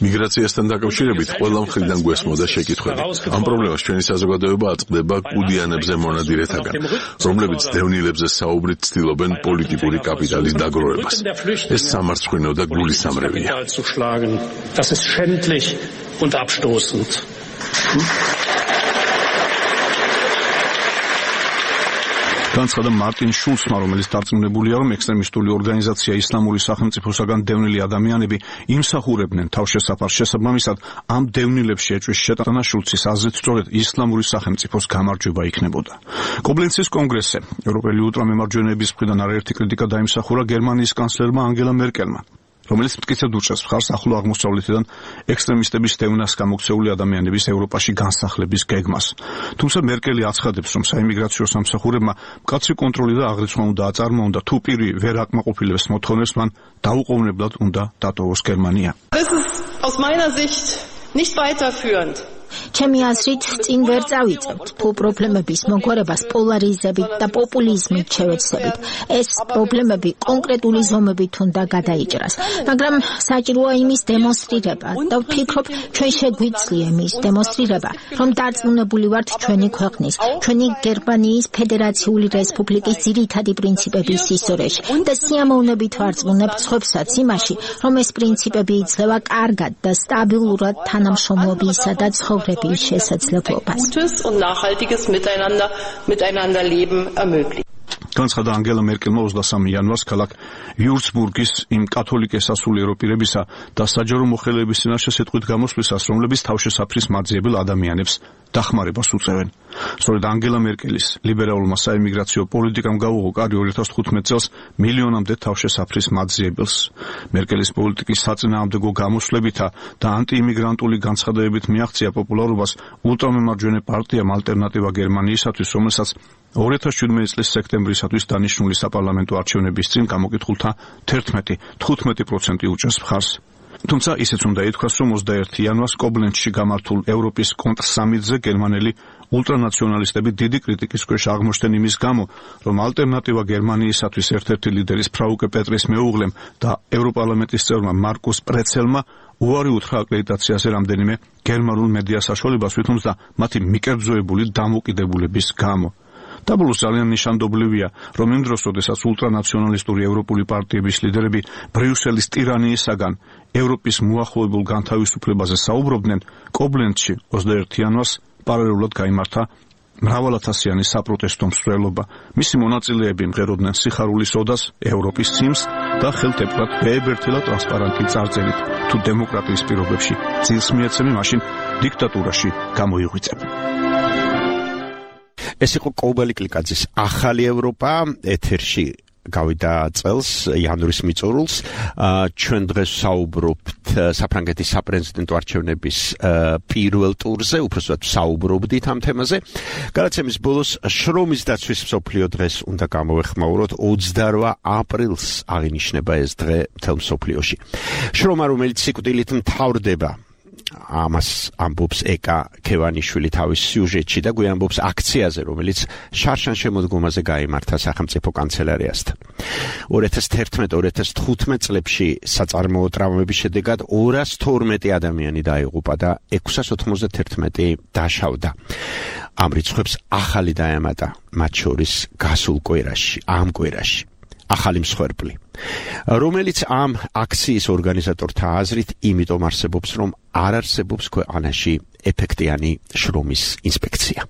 მიგრაციასთან დაკავშირებით ყველა მხრიდან გვესმოდა შეკითხვები. ამ პრობლემას ჩვენი საზოგადოება აწყდება კუდიანებზე მონადირეთაგან, რომლებიც დევნილებზე საუბრით ცდილობენ პოლიტიკური კაპიტალის დაგროვებას. ეს სამარცხვინო და გულისამრევია. Das ist schändlich und abstoßend. განცხადა მარტინ შულცმა, რომელიც დარწმუნებულია, რომ ექსტრემისტული ორგანიზაცია ისლამური სახელმწიფოსაგან დევნილი ადამიანები იმსახურებდნენ თავშესაფარს შესაბამისად, ამ დევნილებში ეჭვის შეტანა შულცის აზრით სწორედ ისლამური სახელმწიფოს გამარჯვება იქნებოდა. კობლენცის კონგრესზე ევროპელი ულტრამემარჯვენეების მხრიდან არაერთი კრიტიკა დაიმსახურა გერმანიის კანცლერმა ანგელა მერკელმა, რომელიც მტკიცედ უჭერს მხარს ახლო აღმოსავლეთიდან ექსტრემისტების დევნას გამოქცეული ადამიანების ევროპაში განსახლების გეგმას. თუმცა მერკელი აცხადებს, რომ საიმიგრაციო სამსახურებმა მკაცრი კონტროლი და აღრიცხვა უნდა აწარმოონ და თუ პირი ვერ აკმაყოფილებს მოთხოვნებს, მან დაუყოვნებლად უნდა დატოვოს გერმანია. Das ist aus meiner Sicht nicht weiterführend. ჩემი აზრით, წინ ვერ წავიწევთ, თუ პრობლემების მოგვარებას პოლარიზებით და პოპულიზმით შევეცდებით. ეს პრობლემები კონკრეტული ზომებით უნდა გადაიჭრას, მაგრამ საჭიროა იმის დემონსტრირება და ვფიქრობ, ჩვენ შეგვიძლია იმის დემონსტრირება, რომ დარწმუნებული ვართ ჩვენი ქვეყნის, ჩვენი გერმანიის ფედერაციული რესპუბლიკის ძირითადი პრინციპების ისტორიაში და სიამოვნებით ვარწმუნებთ სხვებსაც იმაში, რომ ეს პრინციპები იძლევა კარგად და სტაბილურად თანამშრომლობისა და ცხოვრების შესაძლებლობას. Gutes und nachhaltiges Miteinander leben ermöglicht. განცხადა ანგელა მერკელმა 23 იანვარს ქალაქ ვიურცბურგის იმ კათოლიკე სასულიერო პირებისა და საჯარო მოხელეების წინაშე სიტყვით გამოსვლისას, რომლებიც თავშესაფრის მაძიებელ ადამიანებს დახმარებას უწევენ. სწორედ ანგელა მერკელის ლიბერალურმა საიმიგრაციო პოლიტიკამ გაუღო კარი 2015 წელს მილიონამდე თავშესაფრის მაძიებელს. მერკელის პოლიტიკის საწინააღმდეგო გამოსვლებითა და ანტიიმიგრანტული განცხადებებით მიაღწია პოპულარობას ულტრამემარჯვენე პარტიამ ალტერნატივა გერმანიისათვის, რომელსაც 2017 წლის სექტემბრისათვის დანიშნული საპარლამენტო არჩევნების წინ გამოკითხულთა 11-15% უჭერს მხარს. თუმცა ისეც უნდა ითქვას, რომ 21 იანვარს კობლენცში გამართულ ევროპის კონტრსამიტზე გერმანელი ულტრანაციონალისტები დიდი კრიტიკის ქვეშ აღმოჩნდნენ იმის გამო, რომ ალტერნატივა გერმანიისათვის ერთ-ერთი ლიდერის ფრაუკე პეტრის მეუღლემ და ევროპარლამენტის წევრმა მარკუს პრეცელმა უარი უთხრა აკრედიტაციაზე რამდენიმე გერმანულ მედია საშუალებას, ვითომცა მათი მიკერძოებული დამოკიდებულების გამო. დაბლუს ძალიან ნიშანდობლივია, რომ იმ დროს, როდესაც ულტრანაციონალისტური ევროპული პარტიების ლიდერები ბრიუსელის ტირანიისაგან ევროპის მოახლოებულ განთავისუფლებაზე საუბრობდნენ, კობლენცში 21 იანვარს პარალელურად გაიმართა მრავალათასიანი საპროტესტო მსვლელობა. მისი მონაწილეები მღეროდნენ სიხარულის ოდას, ევროპის სიმს და ხელთეპრად ბეებერთელა ტრანსპარენტი წარწერით, თუ დემოკრატიის პირობებში ძილს მიეცემი, მაშინ დიქტატურაში გამოიღვიძებ. ეს იყო კობალი კლიკაძის ახალი ევროპა ეთერში გავიდა წელს იანვრის მიწურულს. ჩვენ დღეს საუბრობთ საფრანგეთის საპრეზიდენტო არჩევნების პირველ ტურზე, უბრალოდ საუბრობდით ამ თემაზე. გადაცემის ბოლოს შრომის დაცვის მსოფლიო დღეს უნდა გამოვეხმაუროთ. 28 აპრილს აღინიშნება ეს დღე მთელ მსოფლიოში. შრომა, რომელიც სიკვდილით მთავრდება ამას ამბობს ეკა ქევანიშვილი თავის სიუჟეტში და გვიამბობს აქციაზე, რომელიც შარშან შემოდგომაზე გაიმართა სახელმწიფო კანცელარიასთან. 2011-2015 წლებში საწარმოო ტრავმების შედეგად 212 ადამიანი დაიღუპა და 691 დაშავდა. ამ რიცხვებს ახალი დაემატა, მათ შორის გასულ კვირაში, ამ კვირაში. ახალი მსხვერპლი, რომელიც ამ აქციის ორგანიზატორთა აზრით იმიტომ არსებობს, რომ არ არსებობს ქვეყანაში ეფექტიანი შრომის ინსპექცია.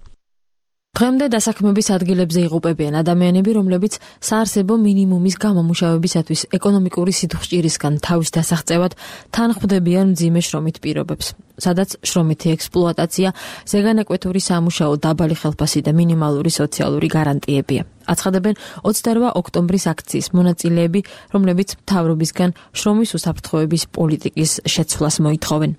დღემდე დასაქმების ადგილებზე იღუპებიან ადამიანები, რომლებიც საარსებო მინიმუმის გამომუშავებისათვის ეკონომიკური სითხჭირისგან თავის დასაღწევად თან ხვდებიან მძიმე შრომით პირობებს, სადაც შრომითი ექსპლუატაცია, ზეგანაკვეთური სამუშაო, დაბალი ხელფასი და მინიმალური სოციალური გარანტიებია. აცხადებენ 28 ოქტომბრის აქციის მონაწილეები, რომლებიც მთავრობისგან შრომის უსაფრთხოების პოლიტიკის შეცვლას მოითხოვენ.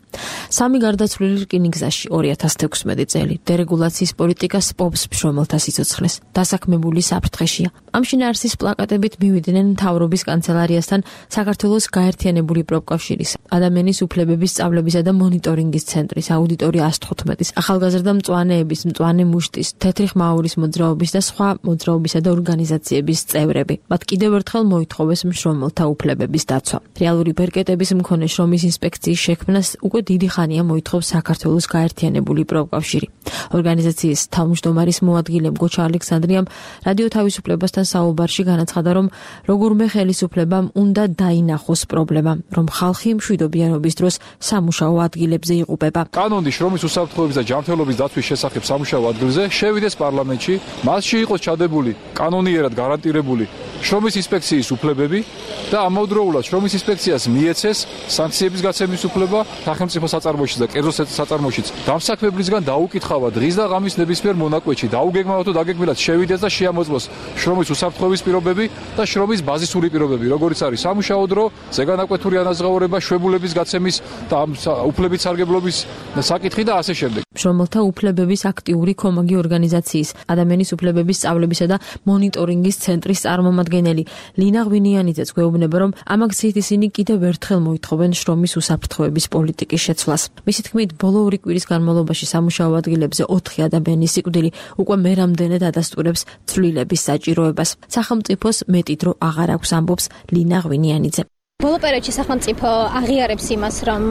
სამი გარდაცვლილი რკინიგზაში 2016 წელი დერეგულაციის პოლიტიკა სპობს მშრომელთა სიცოცხლეს, დასაქმებული საფრთხეშია. ამ შინაარსის პლაკატებით მივიდნენ მთავრობის კანცელარიასთან საქართველოს გაერთიანებული პროფკავშირის, ადამიანის უფლებების სწავლებისა და მონიტორინგის ცენტრის, აუდიტორი 115-ის, ახალგაზრდა მწვანეების, მწვანე მუშტის, თეთრი ხმაურის მოძრაობის და სხვა მოძრაობის და ორგანიზაციების წევრები. მათ კიდევ ერთხელ მოითხოვეს მშრომელთა უფლებების დაცვა. რეალური ბერკეტების მქონე შრომის ინსპექციის შექმნას უკვე დიდი ხანია მოითხოვს საქართველოს გაერთიანებული პროფკავშირი. ორგანიზაციის თავმჯდომარის მოადგილემ გოჩა ალექსანდრიამ რადიო თავისუფლებასთან საუბარში განაცხადა, რომ როგორმე ხელისუფლებამ უნდა დაინახოს პრობლემა, რომ ხალხი მშვიდობიანობის დროს სამუშაო ადგილებზე იღუპება. კანონი შრომის უსაფრთხოების და ჯანმრთელობის დაცვის შესახებ სამუშაო ადგილზე შევიდეს პარლამენტში, მასში იყოს ჩადებული კანონიერად გარანტირებული შრომის ინსპექციის უფლებები და ამავდროულად შრომის ინსპექციას მიეცეს სანქციების გაცემის უფლება სახელმწიფო საწარმოშიც და კერძო საწარმოშიც დამსაქმებლისგან დაუკითხავა დღის და ღამის ნებისმიერ მონაკვეთში დაუგეგმავად თუ დაგეგმილად შევიდეს და შეამოწმოს შრომის უსაფრთხოების პირობები და შრომის ბაზისური პირობები, როგორიც არის სამუშაო დრო, ზეგანაკვეთური ანაზღაურება, შვებულების გაცემის და უფლებით სარგებლობის საკითხი და ასე შემდეგ. მშრომელთა უფლებების აქტიური კომაგი ორგანიზაციის, ადამიანის უფლებების სწავლებისა და მონიტორინგის ცენტრის წარმომადგენელი ლინა ღვინიანიძეც გვეუბნება, რომ ამ აქციით ისინი კიდევ ერთხელ მოითხოვენ შრომის უსაფრთხოების პოლიტიკის შეცვლას. მისი თქმით, ბოლო 2 კვირის განმავლობაში სამუშაო ადგილებზე 4 ადამიანის სიკვდილი უკვე მერამდენედ ადასტურებს ცვლილების საჭიროებას. სახელმწიფოს მეტი დრო აღარ აქვს, ამბობს ლინა ღვინიანიძე. ბოლო პერიოდში სახელმწიფო აღიარებს იმას, რომ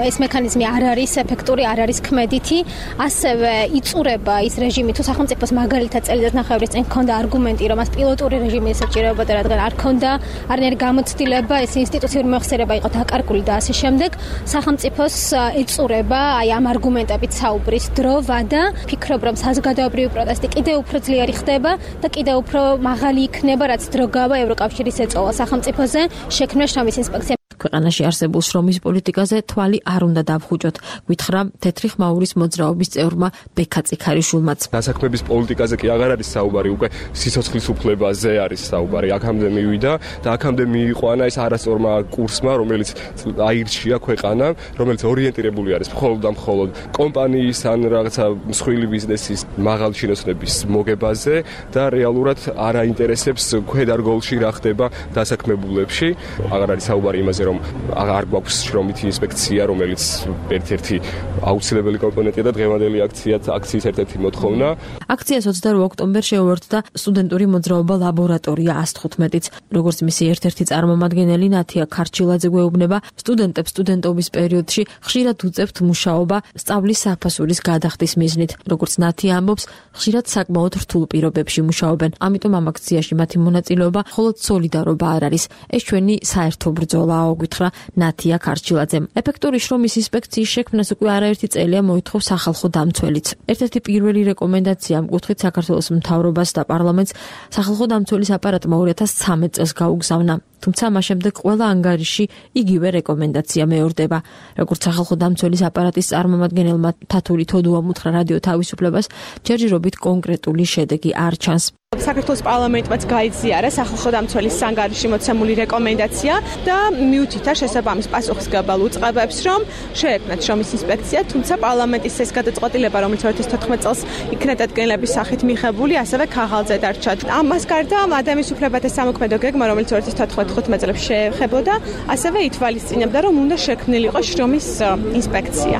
ეს მექანიზმი არ არის ეფექტური, არ არის ქმედითი, ასევე იწურება ის რეჟიმი, თუ სახელმწიფოს მაგალითად წელიწადნახევრის წინ ჰქონდა არგუმენტი, რომ მას პილოტური რეჟიმი ესაჭიროებოდა, რადგან არ ჰქონდა არანაირი გამოცდილება, ეს ინსტიტუციური მოხსერება იყო დაკარგული და ასე შემდეგ. სახელმწიფოს ეწურება აი ამ არგუმენტებით საუბრის დრო, ვადა, ფიქრობ, რომ საზოგადოებრივი პროტესტი კიდევ უფრო ძლიერი ხდება და კიდევ უფრო მაღალი იქნება, რაც დრო გავა ევროკავშირის ეწოლა სახელმწიფოზე, შექმნა შრომის ინსპექცია. ქვეყანაში არსებულ შრომის პოლიტიკაზე თვალი არ უნდა დავხუჭოთ, გითხრა თეთრი ხმაურის მოძრაობის წევრმა ბექა წიქარიშვილმაც. დასაქმების პოლიტიკაზე კი აღარ არის საუბარი, უკვე სიცოცხლის უფლებაზე არის საუბარი. აქამდე მივიდა და აქამდე მიიყვანა ეს არასწორმა კურსმა, რომელიც აირჩია ქვეყანა, რომელიც ორიენტირებული არის მხოლოდ და მხოლოდ კომპანიის ან რაღაცა მსხვილი ბიზნესის მაღალჩინოსნების მოგებაზე და რეალურად არ აინტერესებს ქვედარგოლში რა ხდება დასაქმებულებში. აღარ არის საუბარი იმაზე, რომ არ გვაქვს შრომითი ინსპექცია, რომელიც ერთ-ერთი აუცილებელი კომპონენტია და დღევანდელი აქციის ერთ-ერთი მოთხოვნა. აქციას 28 ოქტომბერს შეუერთდა სტუდენტური მოძრაობა ლაბორატორია 115-იც. როგორც მისი ერთ-ერთი წარმომადგენელი ნათია ქარჩილაძე გვეუბნება, სტუდენტებს სტუდენტობის პერიოდში ხშირად უწევთ მუშაობა სწავლის საფასურის გადახდის მიზნით. როგორც ნათია ამბობს, ხშირად საკმაოდ რთულ პირობებში მუშაობენ. ამიტომ ამ აქციაში მათი მონაწილეობა მხოლოდ სოლიდარობა არ არის. ეს ჩვენი საერთო ბრძოლაა, გითხრა ნათია ქარჩილაძემ. ეფექტური შრომის ინსპექციის შექმნას უკვე არაერთი წელია მოითხოვს სახალხო დამცველიც. ერთ-ერთი პირველი რეკომენდაცია ამ კუთხით საქართველოს მთავრობას და პარლამენტს სახალხო დამცველის აპარატმა 2013 წელს გაუგზავნა. თუმცა მას შემდეგ ყველა ანგარიში იგივე რეკომენდაცია მეორდება. როგორც სახალხო დამცველის აპარატის წარმომადგენელმა თათური თოდუამ უთხრა რადიო თავისუფლებას, ჯერჯერობით კონკრეტული შედეგი არ ჩანს. საქართველოს პარლამენტმაც გაიზიარა სახალხო დამცველის ანგარიში მოცემული რეკომენდაცია და მიუთითა შესაბამის პასუხისმგებელ უწყებებს, რომ შეექმნათ შრომის ინსპექცია, თუმცა პარლამენტის ეს გადაწყვეტილება, რომელიც 2014 წელს იქნა დადგენილების სახით მიღებული, ასევე ქაღალდზე დარჩა. ამას გარდა ადამიანის უფლებათა სამოქმედო გეგმა, რომელიც 2014 2015 წელს შეეხებოდა, ასევე ითვალისწინებდა, რომ უნდა შექმნილიყო შრომის ინსპექცია.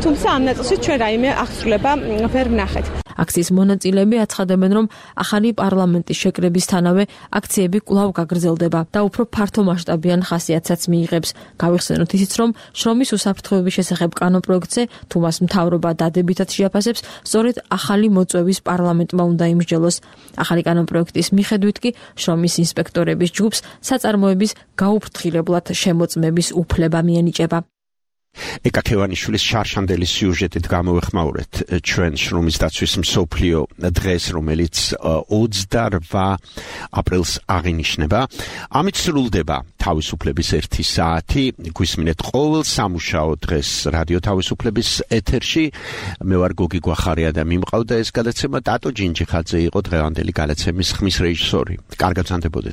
თუმცა ამ ნაწილში ჩვენ რაიმე აღსრულება ვერ ვნახეთ. აქციის მონაწილეები აცხადებენ, რომ ახალი პარლამენტის შეკრებისთანავე აქციები კვლავ გაგრძელდება და უფრო ფართო მასშტაბიან ხასიათსაც მიიღებს. გავიხსენოთ ისიც, რომ შრომის უსაფრთხოების შესახებ კანონპროექტზე, თუ მას მთავრობა დადებითად შეაფასებს, სწორედ ახალი მოწვევის პარლამენტმა უნდა იმსჯელოს. ახალი კანონპროექტის მიხედვით კი შრომის ინსპექტორების ჯგუფს საწარმოების გაუფრთხილებლად შემოწმების უფლება მიენიჭება. ეკა ქევანიშვილის შარშანდელი სიუჟეტით გამოვეხმაურეთ ჩვენ შრომის დაცვის მსოფლიო დღეს, რომელიც 28 აპრილს აღინიშნება. ამით სრულდება თავისუფლების 1 საათი. გვისმინეთ ყოველ სამუშაო დღეს რადიო თავისუფლების ეთერში. მე ვარ გოგი გვახარია და მიმყავდა ეს გადაცემა. ტატო ჯინჯიხაძე იყო დღევანდელი გადაცემის ხმის რეჟისორი. კარგად ვსანდებოდეთ.